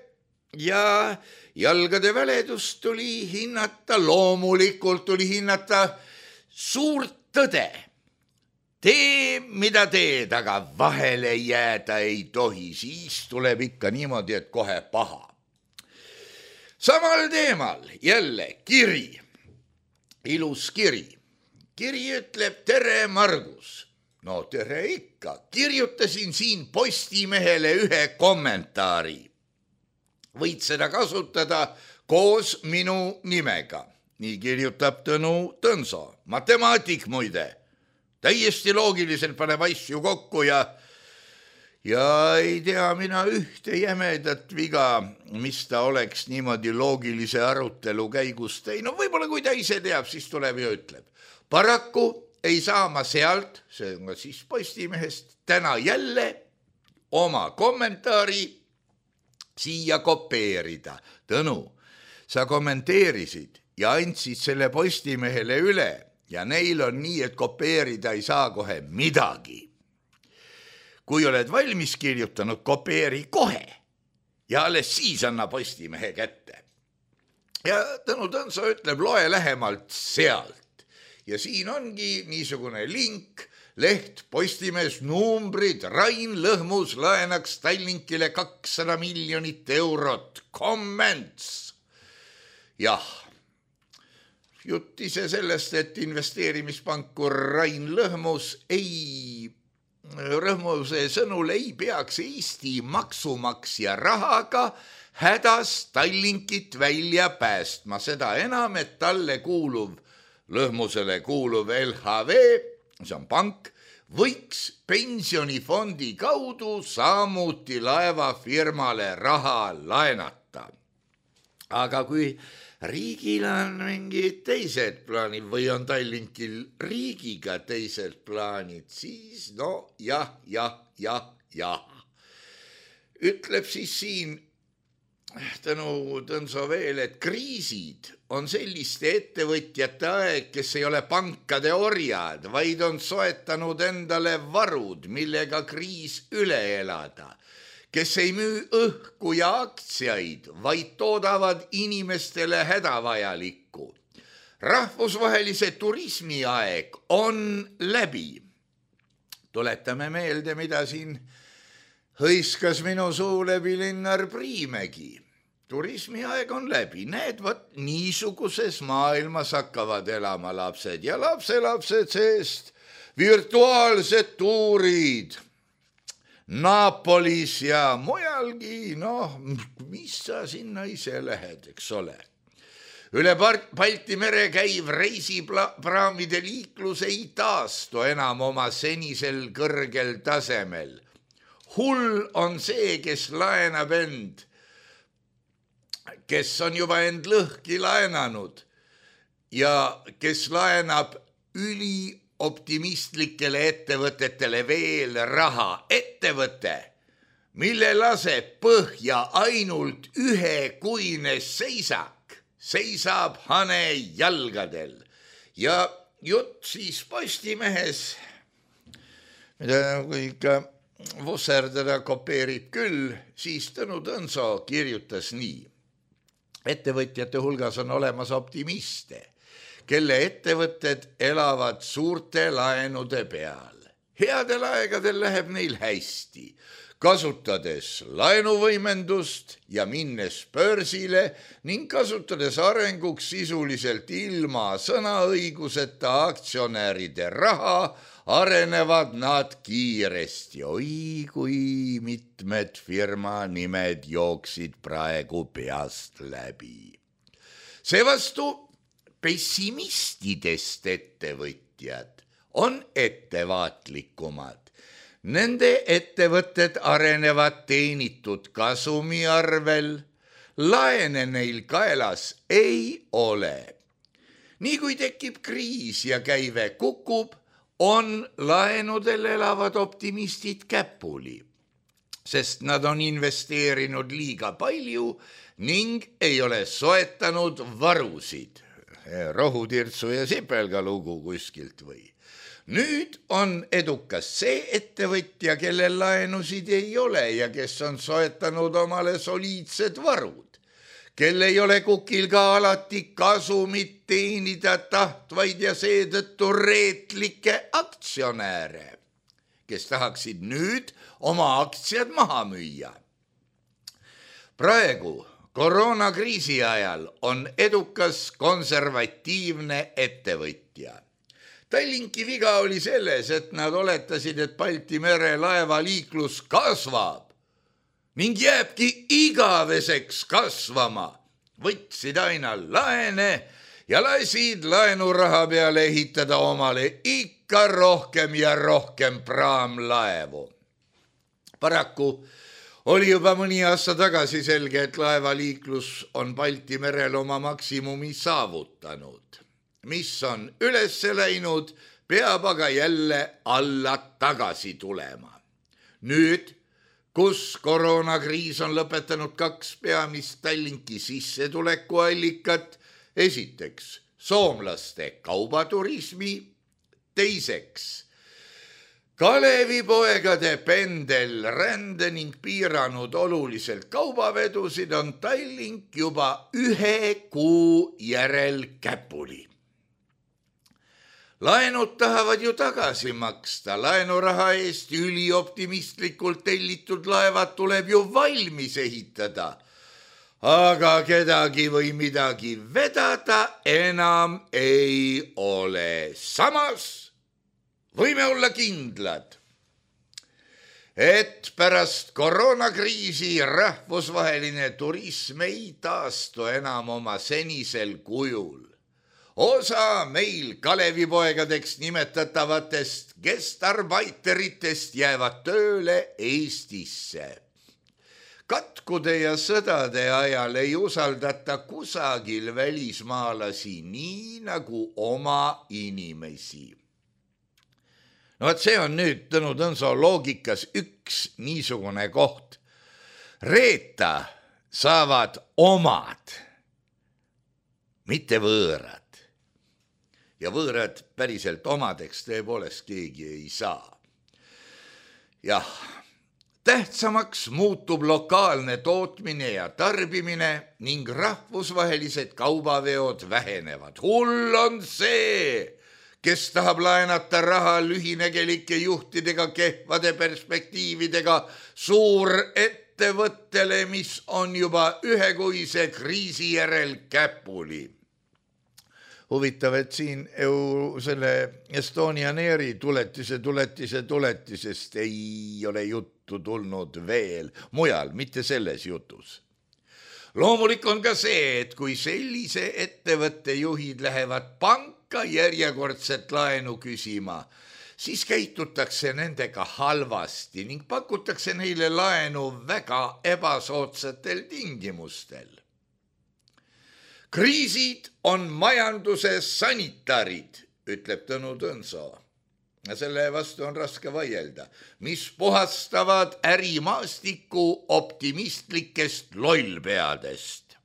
ja jalgade väledust tuli hinnata, loomulikult tuli hinnata suurt tõde. Tee, mida teed, aga vahele jääda ei tohi, siis tuleb ikka niimoodi, et kohe paha. Samal teemal jälle kiri, ilus kiri. Kiri ütleb, tere Margus. No tere ikka, kirjutasin siin Postimehele ühe kommentaari. Võid seda kasutada koos minu nimega. Nii kirjutab Tõnu Tõnso, matemaatik muide. Täiesti loogiliselt paneb asju kokku ja ei tea mina ühte jämedat viga, mis ta oleks niimoodi loogilise arutelu käigus teinud. Võib-olla kui ta ise teab, siis tuleb ja ütleb. Paraku ei saa ma sealt, see on siis Postimehest, täna jälle oma kommentaari siia kopeerida. Tõnu, sa kommenteerisid ja andsid selle Postimehele üle. Ja neil on nii, et kopeerida ei saa kohe midagi. Kui oled valmis kirjutanud, kopeeri kohe ja alles siis anna Postimehe kätte. Ja Tõnu Tõnso ütleb, loe lähemalt sealt. Ja siin ongi niisugune link, leht Postimees numbrid, Rain Lõhmus laenaks Tallinkile 200 miljonit eurot. Comments. Jah, jutt ise sellest, et investeerimispankur Rain Lõhmuse sõnul ei peaks Eesti maksumaksja rahaga hädas Tallinkit välja päästma. Seda enam, et Lõhmusele kuuluv LHV, see on pank, võiks pensionifondi kaudu samuti laevafirmale raha laenata. Aga kui riigil on mingid teised plaanid või on Tallinkil riigiga teised plaanid, siis jah. Ütleb siis siin Tõnu Tõnso veel, et kriisid on selliste ettevõtjate aeg, kes ei ole pankade orjad, vaid on soetanud endale varud, millega kriis üle elada, kes ei müü õhku ja aktsiaid, vaid toodavad inimestele hädavajalikku. Rahvusvahelise turismi aeg on läbi. Tuletame meelde, mida siin hõiskas minu suu läbi Linnar Priimägi. Turismi aeg on läbi. Need niisuguses maailmas hakkavad elama lapsed ja lapselapsed seest virtuaalsed tuurid Napolis ja mujalgi. Mis sa sinna ise lähed, eks ole. Üle Balti mere käiv reisipraamide liiklus ei taastu enam oma senisel kõrgel tasemel. Hull on see, kes laenab end, kes on juba end lõhki laenanud ja kes laenab ülioptimistlikele ettevõtetele veel raha. Ettevõte, mille laseb põhja ainult ühekuine seisak, seisab hane jalgadel. Ja jutt siis Postimehes, mida kui ikka vusserdada kopeerib küll, siis Tõnu Tõnso kirjutas nii. Ettevõtjate hulgas on olemas optimiste, kelle ettevõtted elavad suurte laenude peal. Headel aegadel läheb neil hästi, kasutades laenuvõimendust ja minnes börsile ning kasutades arenguks sisuliselt ilma sõnaõiguseta aktsionäride raha, arenevad nad kiiresti. Oi, kui mitmed firma nimed jooksid praegu peast läbi. Seevastu pessimistidest ettevõtjad on ettevaatlikumad. Nende ettevõtted arenevad teenitud kasumi arvel, laene neil kaelas ei ole. Nii kui tekib kriis ja käive kukub, on laenudel elavad optimistid käpuli, sest nad on investeerinud liiga palju ning ei ole soetanud varusid. Rohutirtsu ja Sipelga lugu kuskilt või. Nüüd on edukas see ettevõtja, kellel laenusid ei ole ja kes on soetanud omale soliidsed varud, kel ei ole kukil ka alati kasumit teenida tahtvaid ja seetõttu reetlikke aktsionääre, kes tahaksid nüüd oma aktsiad maha müüa. Praegu koroonakriisi ajal on edukas konservatiivne ettevõtja. Tallinki viga oli selles, et nad oletasid, et Balti mere laevaliiklus kasvab ning jääbki igaveseks kasvama. Võtsid aina laene ja lasid laenuraha peale ehitada omale ikka rohkem ja rohkem praamlaevu. Paraku oli juba mõni aasta tagasi selge, et laevaliiklus on Balti merel oma maksimumi saavutanud. Mis on üles läinud, peab aga jälle alla tagasi tulema. Nüüd, kus koroonakriis on lõpetanud 2 peamist Tallinki sissetulekuallikat, esiteks soomlaste kaubaturismi, teiseks Kalevipoegade pendelrände ning piiranud oluliselt kaubavedusid, on Tallink juba 1 kuu järel käpuli. Laenud tahavad ju tagasi maksta, laenuraha eest ülioptimistlikult tellitud laevad tuleb ju valmis ehitada. Aga kedagi või midagi vedada enam ei ole. Samas võime olla kindlad, et pärast koroonakriisi rahvusvaheline turism ei taastu enam oma senisel kujul. Osa meil Kalevipoegadeks nimetatavatest gestarbeiteritest jäävad tööle Eestisse. Katkude ja sõdade ajal ei usaldata kusagil välismaalasi nii nagu oma inimesi. No see on nüüd Tõnu Tõnso loogikas üks niisugune koht. Reeta saavad omad, mitte võõrad. Ja võõrad päriselt omadeks tõepoolest keegi ei saa. Jah, tähtsamaks muutub lokaalne tootmine ja tarbimine ning rahvusvahelised kaubaveod vähenevad. Hull on see, kes tahab laenata raha lühinegelike juhtidega, kehvade perspektiividega suurettevõttele, mis on juba ühekuise kriisi järel käpuli. Huvitav, et siin selle Estonian Airi tuletisest ei ole juttu tulnud veel mujal, mitte selles jutus. Loomulik on ka see, et kui sellise ettevõtte juhid lähevad panka järjekordset laenu küsima, siis käitutakse nendega halvasti ning pakutakse neile laenu väga ebasoodsatel tingimustel. Kriisid on majanduse sanitarid, ütleb Tõnu Tõnso. Selle vastu on raske vaielda, mis puhastavad ärimaastiku optimistlikest lollpeadest.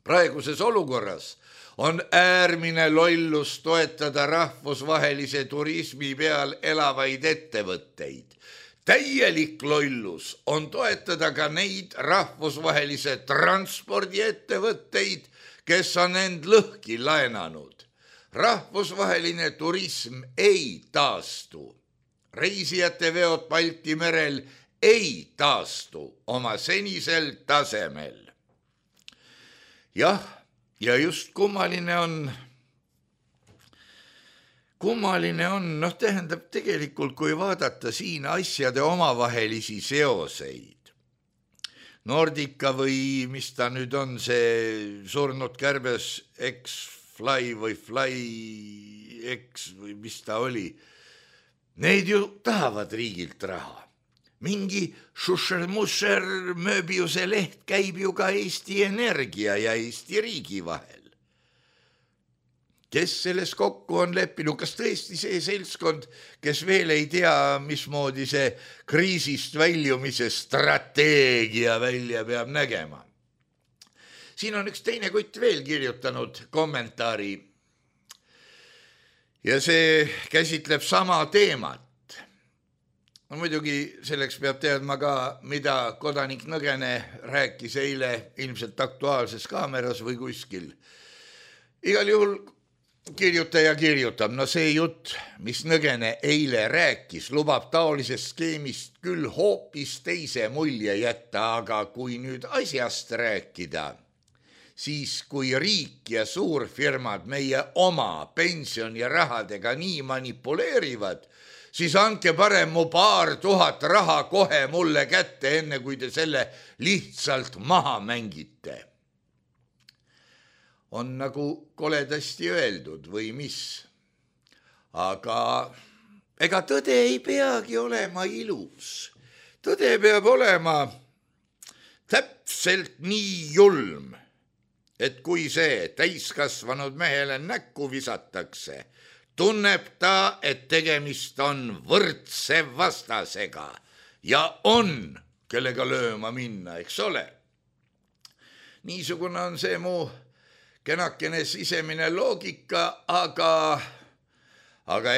Praeguses olukorras on äärmine lollus toetada rahvusvahelise turismi peal elavaid ettevõtteid. Täielik lollus on toetada ka neid rahvusvahelise transpordiettevõtteid, kes on end lõhki laenanud. Rahvusvaheline turism ei taastu. Reisijate veod Balti merel ei taastu oma senisel tasemel. Jah, ja just kummaline on, tähendab tegelikult, kui vaadata siin asjade omavahelisi seoseid. Nordica või mis ta nüüd on, see surnud kärbes X-Fly või Fly-X või mis ta oli. Need ju tahavad riigilt raha. Mingi Šušer-Mušer Mööbiuse leht käib ju ka Eesti Energia ja Eesti riigi vahel. Kes selles kokku on leppinud? Kas tõesti see seltskond, kes veel ei tea, mismoodi see kriisist väljumise strateegia välja peab nägema? Siin on üks teine kutt veel kirjutanud kommentaari ja see käsitleb sama teemat. No, muidugi selleks peab teadma ka, mida kodanik Nõgene rääkis eile ilmselt Aktuaalses Kaameras või kuskil. Igal juhul kirjutaja kirjutab, see jutt, mis Nõgene eile rääkis, lubab taolisest skeemist küll hoopis teise mulje jätta, aga kui nüüd asjast rääkida, siis kui riik ja suurfirmad meie oma pensionirahadega nii manipuleerivad, siis andke parem mu 2000 raha kohe mulle kätte, enne kui te selle lihtsalt maha mängite. On nagu koledasti öeldud või mis. Aga ega tõde ei peagi olema ilus. Tõde peab olema täpselt nii julm, et kui see täiskasvanud mehele näkku visatakse, tunneb ta, et tegemist on võrdse vastasega ja on, kellega lööma minna, eks ole. Niisugune on see mu kenakene sisemine loogika, aga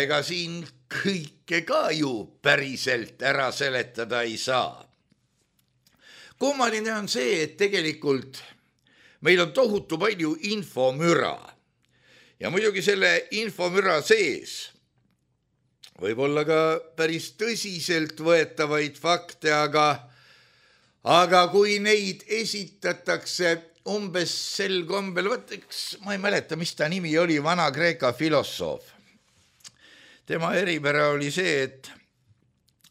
ega siin kõike ka ju päriselt ära seletada ei saa. Kummaline on see, et tegelikult meil on tohutu palju infomüra Ja muidugi selle infomüra sees võib olla ka päris tõsiselt võetavaid fakte, aga kui neid esitatakse umbes sel kombel, ma ei mäleta, mis ta nimi oli, Vana-Kreeka filosoof. Tema eripära oli see, et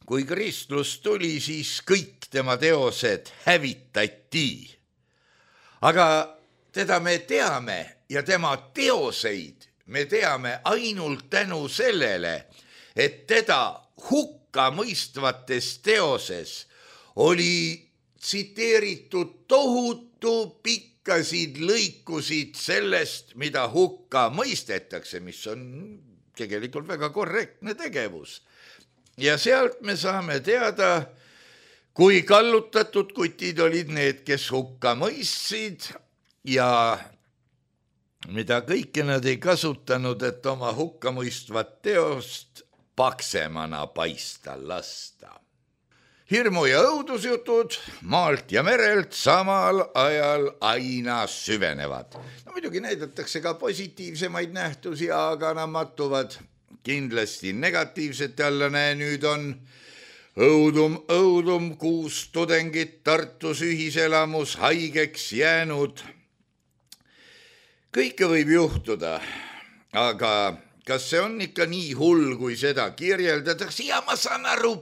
kui kristlus tuli, siis kõik tema teosed hävitati. Aga teda me teame ja tema teoseid me teame ainult tänu sellele, et teda hukka mõistvates teoses oli tsiteeritud tohutu pikkasid lõikusid sellest, mida hukka mõistetakse, mis on tegelikult väga korrektne tegevus. Ja sealt me saame teada, kui kallutatud kutid olid need, kes hukka mõistsid ja mida kõike nad ei kasutanud, et oma hukka mõistvat teost paksemana paista lasta. Hirmu ja õudusjutud maalt ja merelt samal ajal aina süvenevad. No muidugi näidatakse ka positiivsemaid nähtusi, aga nad mattuvad kindlasti negatiivsete alla. Nüüd on õudum 6 tudengit Tartus ühiselamus haigeks jäänud. Kõike võib juhtuda, aga kas see on ikka nii hull, kui seda kirjeldatakse? Ja ma saan aru,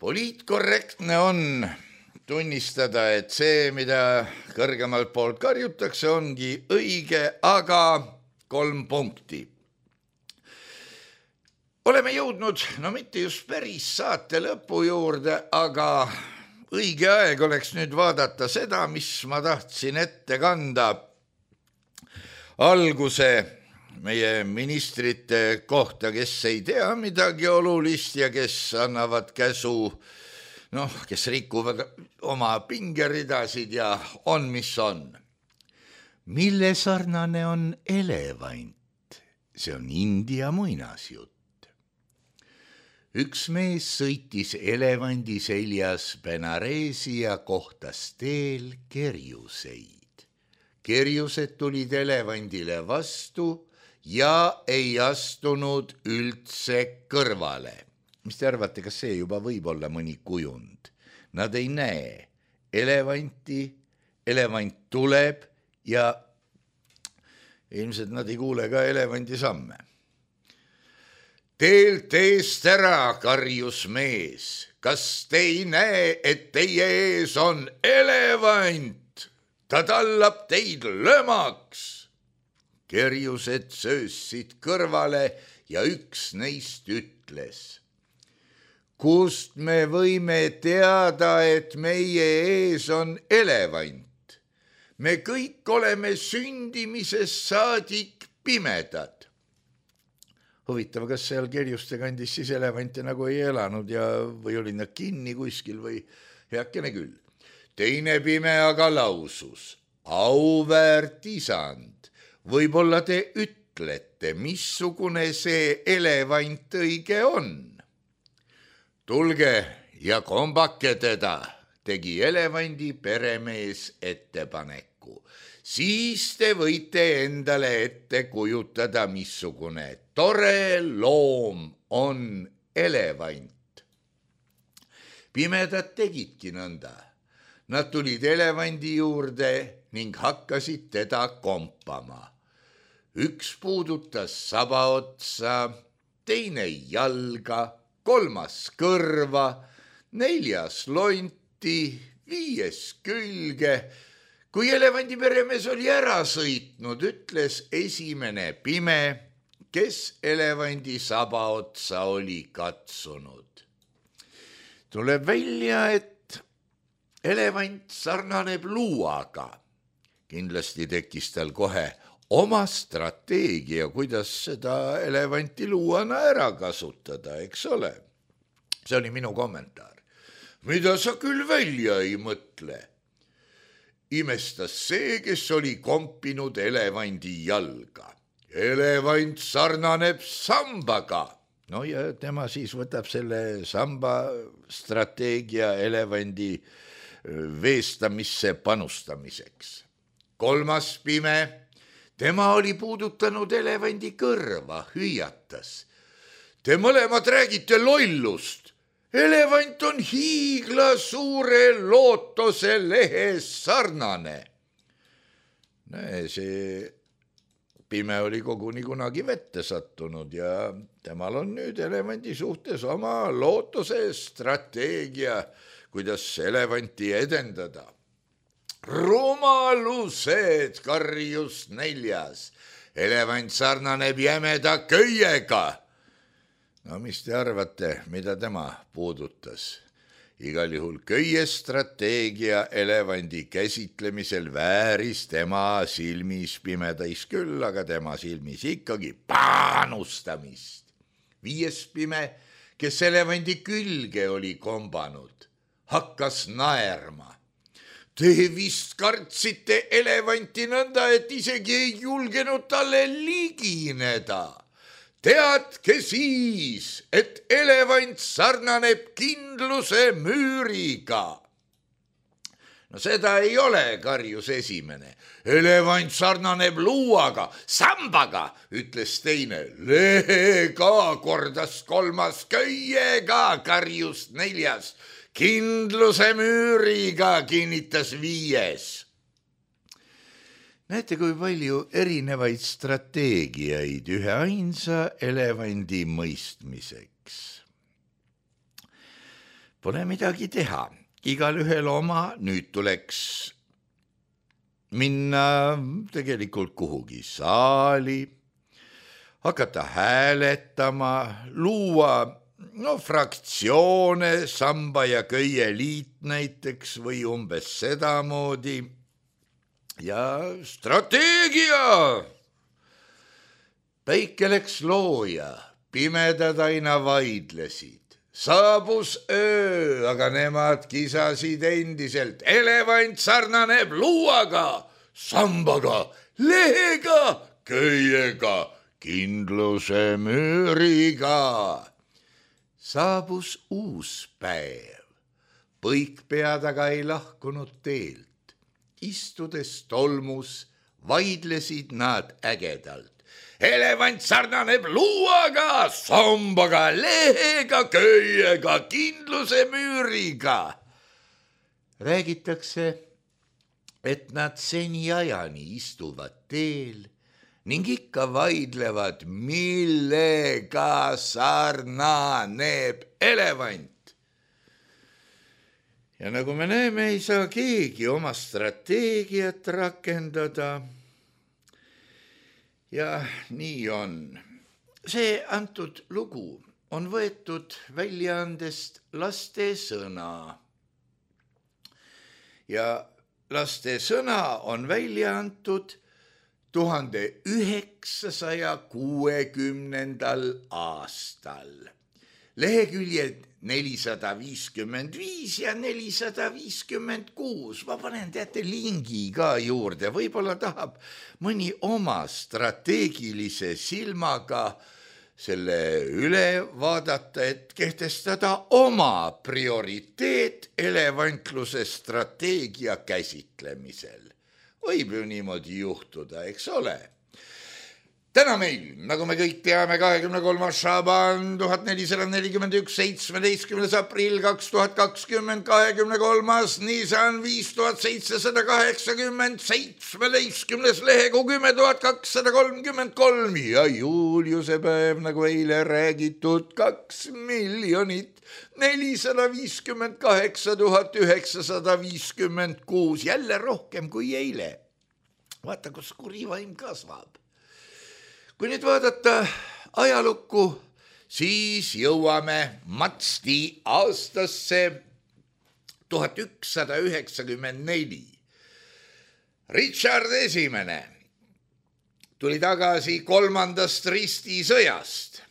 poliitkorrektne on tunnistada, et see, mida kõrgemalt poolt karjutakse, ongi õige, aga 3 punkti. Oleme jõudnud, no mitte just päris saate lõpu juurde, aga õige aeg oleks nüüd vaadata seda, mis ma tahtsin ette kanda. Alguse meie ministrite kohta, kes ei tea midagi olulist ja kes annavad käsu, kes rikuvad oma pingeridasid ja on, mis on. Mille sarnane on elevant? See on India muinasjutt. Üks mees sõitis elevandi seljas Benaresi ja kohtas teel kerjuseid. Kerjused tulid elevandile vastu ja ei astunud üldse kõrvale. Mis te arvate, kas see juba võib olla mõni kujund? Nad ei näe elevanti, elevant tuleb ja ilmselt nad ei kuule ka elevandi samme. Teelt eest ära, karjus mees, kas te ei näe, et teie ees on elevant? Ta tallab teid lömaks. Kerjused söössid kõrvale ja üks neist ütles. Kust me võime teada, et meie ees on elevant? Me kõik oleme sündimisest saadik pimedad. Huvitav, kas seal kerjuste kandis siis elevante nagu ei elanud või olid nad kinni kuskil või heakene küll. Teine pime aga lausus, auväärt isand, võib-olla te ütlete, missugune see elevant õige on? Tulge ja kombake teda, tegi elevandi peremees ettepaneku. Siis te võite endale ette kujutada, missugune tore loom on elevant. Pimedad tegidki nõnda. Nad tulid elevandi juurde ning hakkasid teda kompama. Üks puudutas sabaotsa, teine jalga, 3. kõrva, 4. lonti, 5. külge. Kui elevandi peremees oli ära sõitnud, ütles esimene pime, kes elevandi sabaotsa oli katsunud. Tuleb välja, et elevant sarnaneb luuaga. Kindlasti tekkis tal kohe oma strateegia, kuidas seda elevanti luuana ära kasutada, eks ole? See oli minu kommentaar. Mida sa küll välja ei mõtle? Imestas see, kes oli kompinud elevandi jalga. Elevant sarnaneb sambaga. No ja tema siis võtab selle samba strateegia elevandi veestamisse panustamiseks. 3. pime tema oli puudutanud elevandi kõrva, hüüatas. Te mõlemad räägite lollust. Elevant on hiigla suure lootose lehes sarnane. See pime oli koguni kunagi vette sattunud ja temal on nüüd elevandi suhtes oma lootuse strateegia, kuidas elevanti edendada. Rumalused, karjus 4. Elevant sarnaneb jämeda köiega. No mis te arvate, mida tema puudutas? Igal juhul köie strateegia elevandi käsitlemisel vääris tema silmis pimedais küll, aga tema silmis ikkagi panustamist. 5. pime, kes elevandi külge oli kombanud, hakkas naerma. Te vist kartsite elevanti nõnda, et isegi ei julgenud talle ligineda. Teadke siis, et elevant sarnaneb kindluse müüriga. No seda ei ole, karjus 1. Elevant sarnaneb luuaga, sambaga, ütles 2. Lehega, kordas 3. Köiega, karjus 4. Kindluse müüriga, kinnitas 5. Näete, kui palju erinevaid strateegiaid ühe ainsa elevandi mõistmiseks. Pole midagi teha, igal ühel oma, nüüd tuleks minna tegelikult kuhugi saali, hakata hääletama, luua fraktsioone, samba ja köie liit näiteks või umbes sedamoodi. Ja strateegia! Päike läks looja, pimedad aina vaidlesid. Saabus öö, aga nemad kisasid endiselt. Elevant sarnaneb luuaga, sambaga, lehega, köiega, kindluse müüriga. Saabus uus päev. Põikpead aga ei lahkunud teelt. Istudes tolmus, vaidlesid nad ägedalt. Elevant sarnaneb luuaga, sambaga, lehega, köiega, kindluse müüriga. Räägitakse, et nad seniajani istuvad teel ning ikka vaidlevad, millega sarnaneb elevant. Ja nagu me näeme, ei saa keegi oma strateegiat rakendada. Ja nii on. See antud lugu on võetud väljaandest Laste Sõna. Ja Laste Sõna on välja antud 1960. aastal. Leheküljed 455 ja 456. Ma panen teate lingi ka juurde. Võib-olla tahab mõni oma strateegilise silmaga selle üle vaadata, et kehtestada oma prioriteet elevantluse strateegia käsitlemisel. Võib ju niimoodi juhtuda, eks ole? Täna meil, nagu me kõik teame, 23. Šaban 1441, 17. aprill 2020, 23. Nisan 5780, 17. lehekuu 10,233 ja Juliuse päev, nagu eile räägitud, 2 458 956, jälle rohkem kui eile. Vaata, kus kurivaim kasvab. Kui nüüd vaadata ajalukku, siis jõuame Matsti aastasse 1194. Richard I tuli tagasi 3. ristisõjast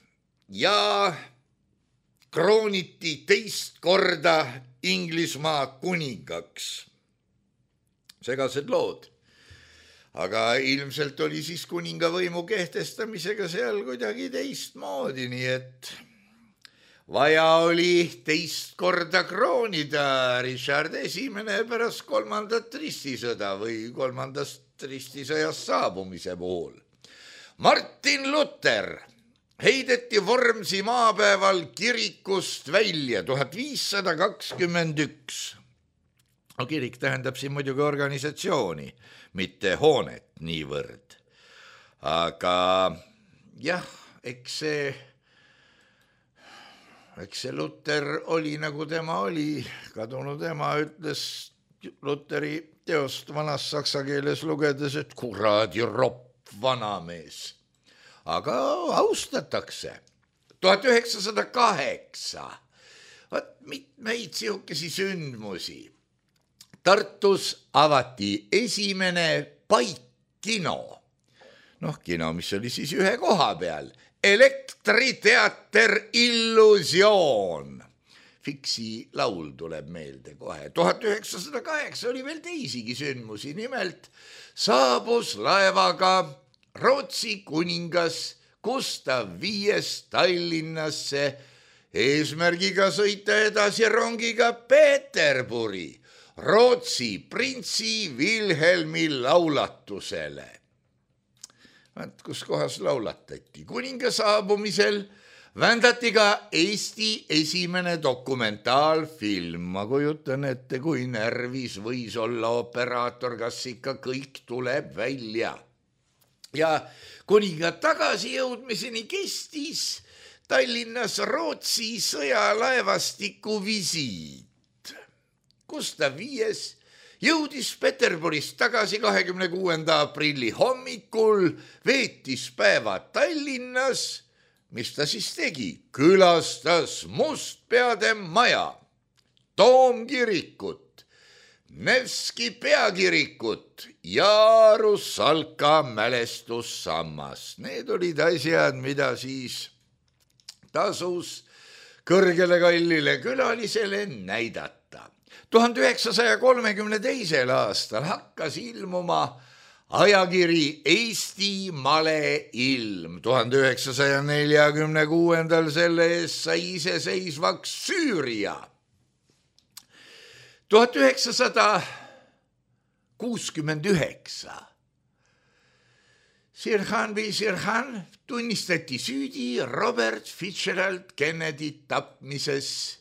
ja krooniti teist korda Inglismaa kuningaks. Segased lood. Aga ilmselt oli siis kuningavõimu kehtestamisega seal kuidagi teistmoodi, nii et vaja oli teist korda kroonida Richard I pärast 3. ristisõda või 3. ristisõjas saabumise puhul. Martin Luther heideti Vormsi maapäeval kirikust välja 1521. No, kirik tähendab siin muidugi organisatsiooni, mitte hoonet niivõrd. Aga jah, eks see Luther oli nagu tema oli, kadunud ema ütles Lutheri teost vanas saksa keeles lugedes, et kuradi ropp vanamees. Aga austatakse. 1908. Mitmeid sihukesi sündmusi. Tartus avati esimene paikkino. Kino, mis oli siis ühe koha peal. Elektriteater Illusioon. Fiksi laul tuleb meelde kohe. 1908 oli veel teisigi sündmusi. Nimelt saabus laevaga Rootsi kuningas Gustav V Tallinnasse eesmärgiga sõita edasi rongiga Peterburi Rootsi printsi Wilhelmi laulatusele. Kus kohas laulatati? Kuninga saabumisel vändati ka Eesti esimene dokumentaalfilm. Ma kujutan ette, kui närvis võis olla operaator, kas ikka kõik tuleb välja. Ja kuninga tagasi jõudmiseni kestis Tallinnas Rootsi sõjalaevastiku visiit. Gustav V jõudis Peterburist tagasi 26. aprilli hommikul, veetis päeva Tallinnas. Mis ta siis tegi? Külastas Mustpeade maja, Toomkirikut, Nevski peakirikut ja Russalka mälestussammas. Need olid asjad, mida siis tasus kõrgele kallile külalisele näidata. 1932. aastal hakkas ilmuma ajakiri Eesti Maleilm. 1946. selle eest sai iseseisvaks Süüria. 1969. Sirhan või Sirhan tunnistati süüdi Robert Fitzgerald Kennedy tapmises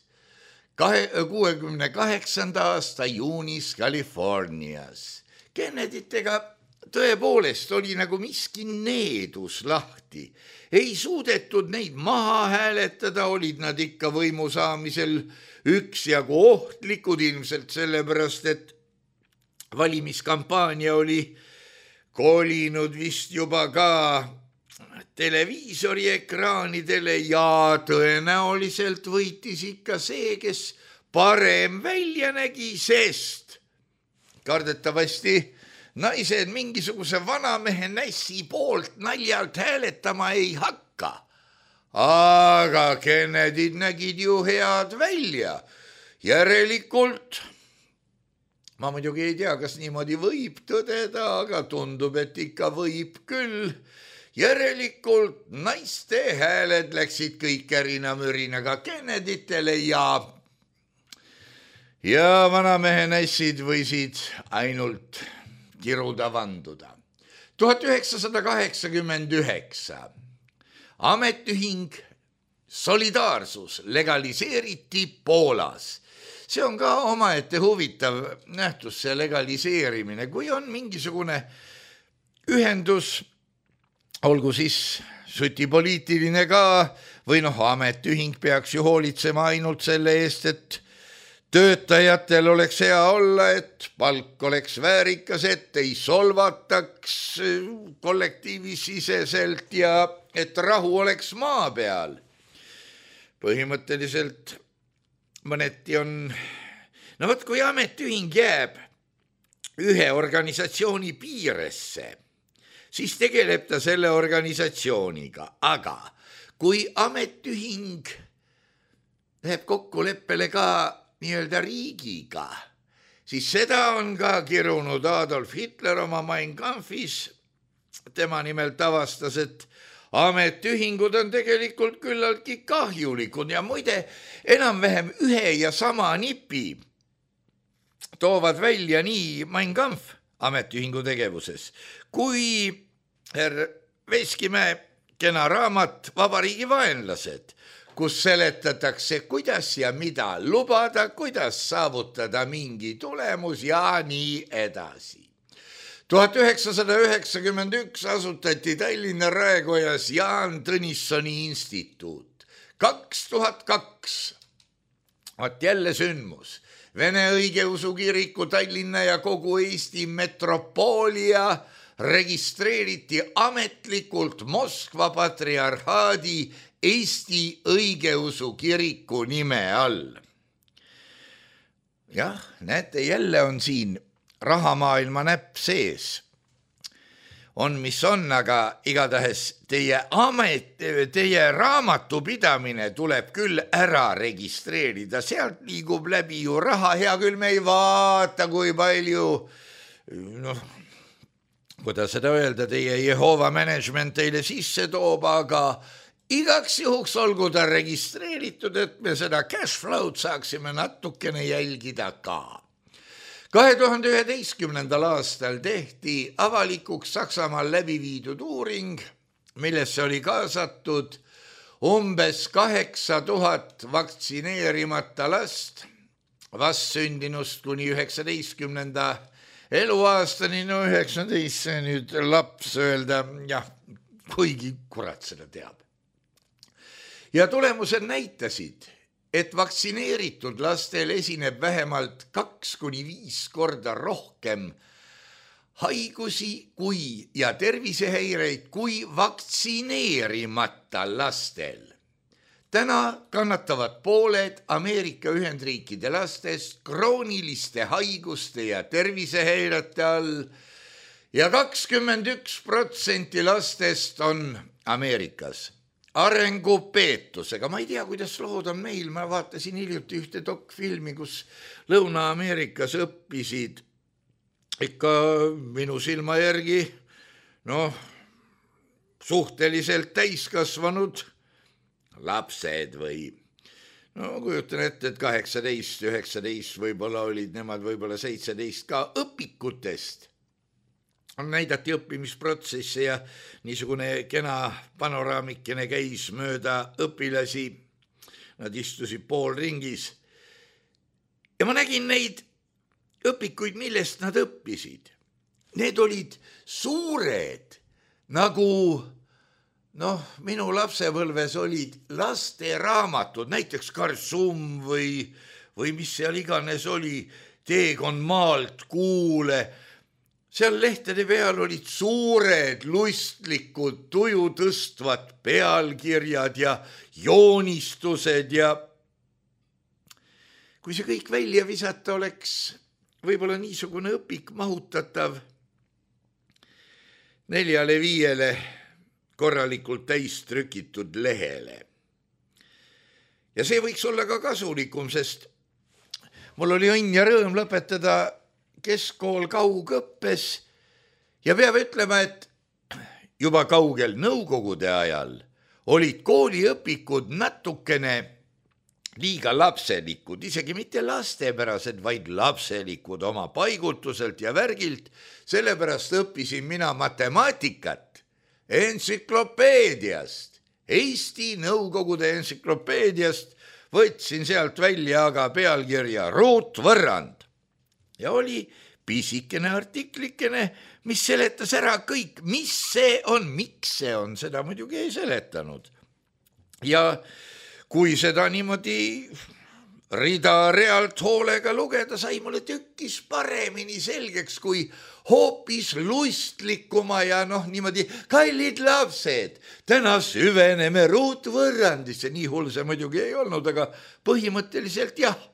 68. aasta juunis Californias. Kenneditega tõepoolest oli nagu miski needus lahti. Ei suudetud neid maha hääletada, olid nad ikka võimu saamisel üksjagu ohtlikud, ilmselt sellepärast, et valimiskampaania oli kolinud vist juba ka televiisori ekraanidele ja tõenäoliselt võitis ikka see, kes parem välja nägi, sest kardetavasti naised mingisuguse vanamehe nässi poolt naljalt hääletama ei hakka. Aga Kennedyd nägid ju head välja. Järelikult, ma muidugi ei tea, kas niimoodi võib tõdeda, aga tundub, et ikka võib küll. Järelikult naiste hääled läksid kõik ärina-mürinaga Kenneditele ja vanamehe nässid võisid ainult kiruda vanduda. 1989. Ametiühing Solidaarsus legaliseeriti Poolas. See on ka omaette huvitav nähtus, see legaliseerimine. Kui on mingisugune ühendus, olgu siis sütipoliitiline ka, või ametiühing peaks ju hoolitsema ainult selle eest, et töötajatel oleks hea olla, et palk oleks väärikas, et ei solvataks kollektiivisiseselt ja et rahu oleks maa peal. Põhimõtteliselt mõneti on, kui ametiühing jääb ühe organisatsiooni piiresse, siis tegeleb ta selle organisatsiooniga, aga kui ametiühing läheb kokkuleppele ka nii-öelda riigiga, siis seda on ka kirunud Adolf Hitler oma Mein Kampfis. Tema nimelt avastas, et ametiühingud on tegelikult küllaltki kahjulikud ja muide enam-vähem ühe ja sama nipi toovad välja nii Mein Kampf ametiühingu tegevuses, kui herr Veskimäe kena raamat Vabariigi vaenlased, kus seletatakse, kuidas ja mida lubada, kuidas saavutada mingi tulemus ja nii edasi. 1991 asutati Tallinna Raekojas Jaan Tõnissoni instituut. 2002, vaat jälle sündmus, Vene õigeusu kiriku Tallinna ja kogu Eesti metropoolia registreeriti ametlikult Moskva patriarhaadi Eesti õigeusu kiriku nime all. Jah, näete, jälle on siin rahamaailma näpp sees. On, mis on, aga igatahes teie raamatupidamine tuleb küll ära registreerida. Sealt liigub läbi ju raha, hea küll me ei vaata, kui palju, kuidas seda öelda, teie Jehova management teile sisse toob, aga igaks juhuks olgu ta registreeritud, et me seda cash flow'd saaksime natukene jälgida ka. 2011. aastal tehti avalikuks Saksamaal läbi viidud uuring, millesse oli kaasatud umbes 8000 vaktsineerimata last vastsündinust kuni 19. eluaastani, 19, see nüüd laps öelda, jah, kuigi kurat seda teab. Ja tulemused näitasid, et vaktsineeritud lastel esineb vähemalt 2-5 korda rohkem haigusi ja tervisehäireid kui vaktsineerimata lastel. Täna kannatavad pooled Ameerika Ühendriikide lastest krooniliste haiguste ja tervisehäirete all ja 21% lastest on Ameerikas arengupeetusega. Ma ei tea, kuidas lood on meil. Ma vaatasin hiljuti ühte dokfilmi, kus Lõuna-Ameerikas õppisid ikka minu silma järgi suhteliselt täiskasvanud lapsed või kujutan ette, et 18, 19 võib-olla olid nemad, võib-olla 17 ka õpikutest. Näidati õppimisprotsesse ja niisugune kena panoraamikene käis mööda õpilasi. Nad istusid poolringis. Ja ma nägin neid õpikuid, millest nad õppisid. Need olid suured, nagu minu lapsepõlves olid lasteraamatud, näiteks Karsum või mis seal iganes oli, Teekond maalt kuule. Seal lehtede peal olid suured, lustlikud, tuju tõstvad pealkirjad ja joonistused ja kui see kõik välja visata oleks võib-olla niisugune õpik mahutatav 4-5 korralikult täistrükitud lehele. Ja see võiks olla ka kasulikum, sest mul oli õnn ja rõõm lõpetada keskkool kaugõppes ja peab ütlema, et juba kaugel nõukogude ajal olid kooliõpikud natukene liiga lapselikud, isegi mitte lastepärased, vaid lapselikud oma paigutuselt ja värgilt. Sellepärast õppisin mina matemaatikat entsüklopeediast, Eesti Nõukogude entsüklopeediast, võtsin sealt välja aga pealkirja ruutvõrrand. Ja oli pisikene artiklikene, mis seletas ära kõik, mis see on, miks see on, seda muidugi ei seletanud. Ja kui seda niimoodi rida-realt hoolega lugeda, sai mulle tükkis paremini selgeks, kui hoopis lustlikuma ja niimoodi kallid lapsed. Täna süveneme ruutvõrrandisse, nii hull see muidugi ei olnud, aga põhimõtteliselt jah.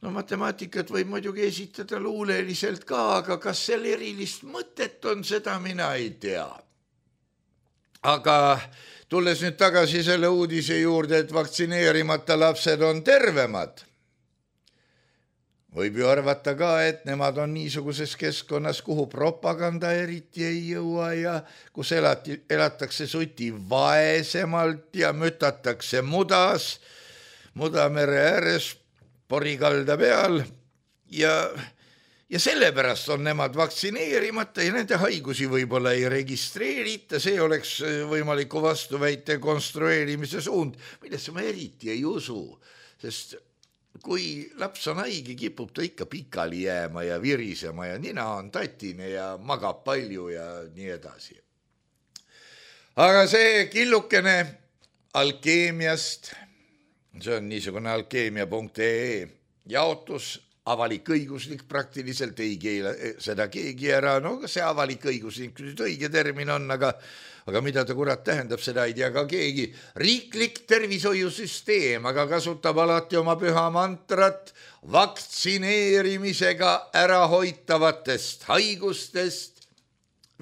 Matemaatikat võib muidugi esitada luuleliselt ka, aga kas seal erilist mõtet on, seda mina ei tea. Aga tulles nüüd tagasi selle uudise juurde, et vaktsineerimata lapsed on tervemad, võib ju arvata ka, et nemad on niisuguses keskkonnas, kuhu propaganda eriti ei jõua ja kus elatakse suti vaesemalt ja mütatakse Mudamere ääres porikalda peal ja ja sellepärast on nemad vaktsineerimata ja nende haigusi võib-olla ei registreerita, see oleks võimaliku vastuväite konstrueerimise suund, millesse ma eriti ei usu, sest kui laps on haige, kipub ta ikka pikali jääma ja virisema ja nina on tatine ja magab palju ja nii edasi. Aga see killukene alkeemiast, see on niisugune alkeemia.ee jaotus, avalik-õiguslik praktiliselt, ei keela seda keegi ära, no see avalik-õiguslik õige termin on, aga mida ta kurat tähendab, seda ei tea ka keegi. Riiklik tervishoiusüsteem, aga kasutab alati oma püha mantrat vaktsineerimisega ära hoitavatest haigustest,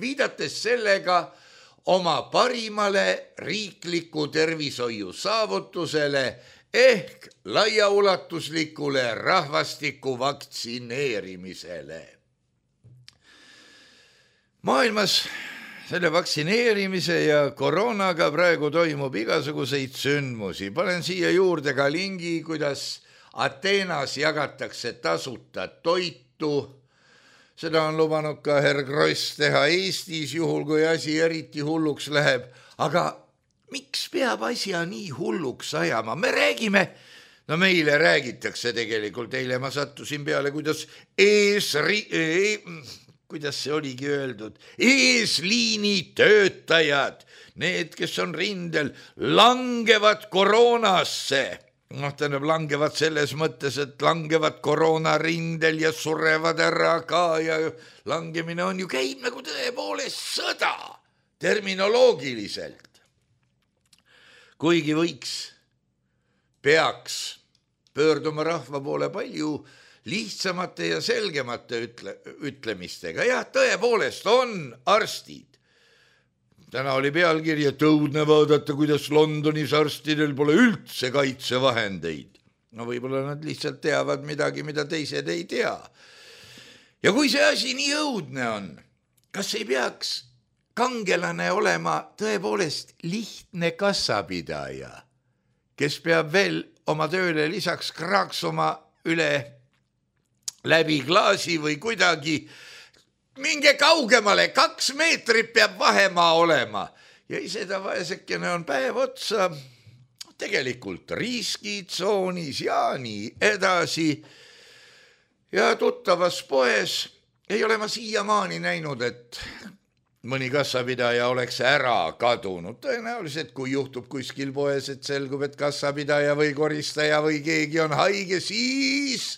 viidates sellega oma parimale riikliku tervishoiu saavutusele ehk laiaulatuslikule rahvastiku vaktsineerimisele. Maailmas selle vaktsineerimise ja koroonaga praegu toimub igasuguseid sündmusi. Panen siia juurde ka lingi, kuidas Ateenas jagatakse tasuta toitu. Seda on lubanud ka herr Kross teha Eestis, juhul kui asi eriti hulluks läheb. Aga miks peab asja nii hulluks ajama? Me räägime, no meile räägitakse tegelikult, eile ma sattusin peale, kuidas kuidas see oligi öeldud, eesliini töötajad, need, kes on rindel, langevad koroonasse. Noh, tähendab, langevad selles mõttes, et langevad koroonarindel ja surevad ära ka ja langemine on ju käib nagu tõepoolest sõda terminoloogiliselt. Kuigi peaks pöörduma rahva poole palju lihtsamate ja selgemate ütlemistega. Jah, tõepoolest on arstid. Täna oli pealkiri, et õudne vaadata, kuidas Londonis arstidel pole üldse kaitsevahendeid. No võib-olla nad lihtsalt teavad midagi, mida teised ei tea. Ja kui see asi nii õudne on, kas ei peaks kangelane olema tõepoolest lihtne kassapidaja, kes peab veel oma tööle lisaks kraaksuma üle läbi klaasi või kuidagi minge kaugemale, 2 meetrit peab vahemaa olema. Ja seda vaesekene on päev otsa tegelikult riskitsoonis ja nii edasi. Ja tuttavas poes ei ole ma siiamaani näinud, et mõni kassapidaja oleks ära kadunud. Tõenäoliselt, kui juhtub kuskil poes, et selgub, et kassapidaja või koristaja või keegi on haige, siis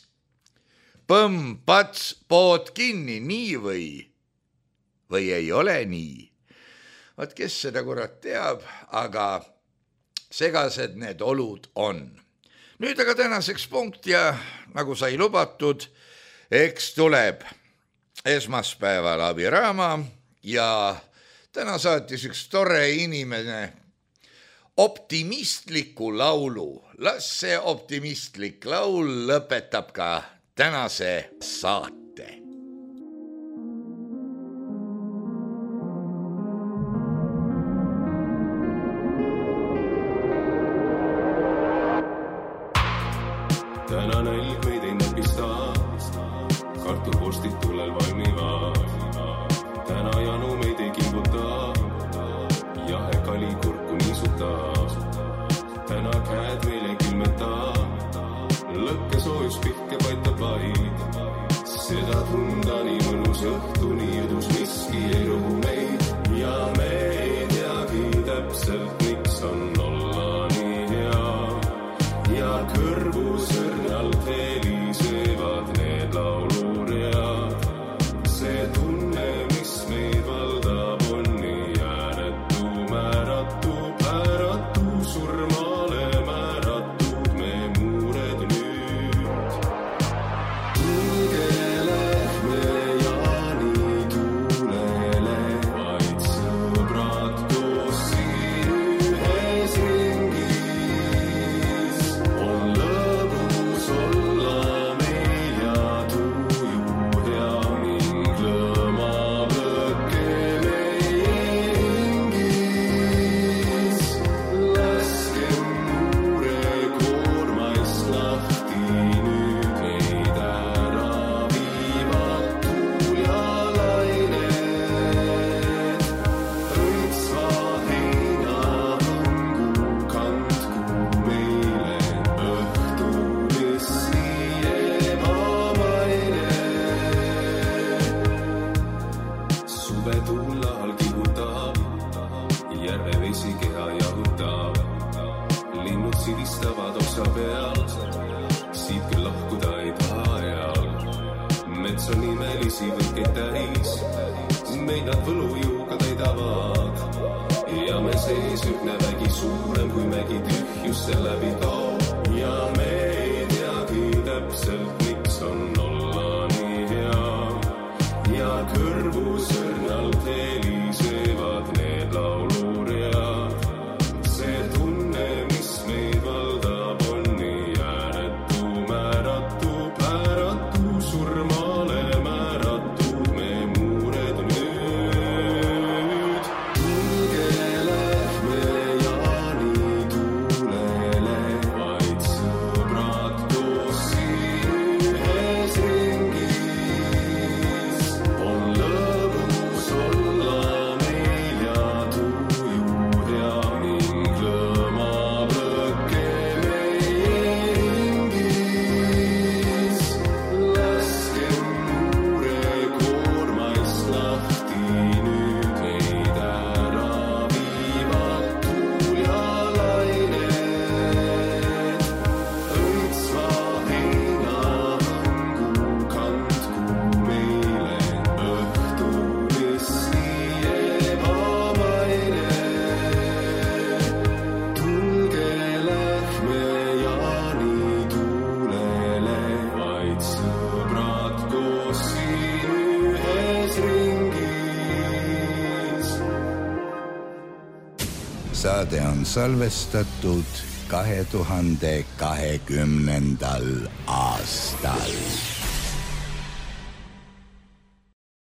põmm, pats, pood kinni, nii või ei ole nii. Vaat kes seda kurat teab, aga segased need olud on. Nüüd aga tänaseks punkt ja nagu sai lubatud, eks tuleb esmaspäeval abiraama ja täna saatis üks tore inimene optimistliku laulu. Las see optimistlik laul lõpetab ka tänase saate. Täna nälg meid ei näpista, kartulvorstid tulel valmivad. Täna janu meid ei kimbuta, jahe kali kurku niisuta. Täna käed meil ei külmeta, lõkke soojus pihke paitab vaid. Seda tunda nii mõnus õhtuni jõdus miski ei rohu meid. Ja me ei teagi täpselt, miks on olla nii hea. Ja kõrvu sõrnalt helisevad need lauluread. See tunne, mis meid valdab, on nii ääretu, määratu, pääratu, surmale määratud me muured nüüd. Tulge lähme ja nii tuulele, vaid sõõr. merevesi keha jahutab. Linnud silistavad oksa peal, siit küll lahkuda ei taha eal. Mets on imelisi võrkeid täis, meid nad võlujuuga täidavad. Ja me sees ühne vägi suurem kui mägi tühjusse läbi kao. Ja me ei teagi täpselt, miks on olla nii hea. Ja kõrvu sõrnalt helisevad need lauluread. See tunne, mis meid valdab, on nii ääretu, määratu, pääratu, surmale määratud me muured nüüd. Tulge lähme Jaani tuulele, vaid sõbrad koos siin ühes ringis. On lõbus olla meil ja tuju hea ning lõmab lõkke meie hingis. Laskem muure koormaist lahti nüüd, meid ära viivad tuul ja lained. Õitsva heinahõngu kandku meile õhtulis nii ebamaine. Tulge lähme Jaani tuulele, vaid sõbrad koos siin ühes ringis. Saade on salvestatud 2020. aastal.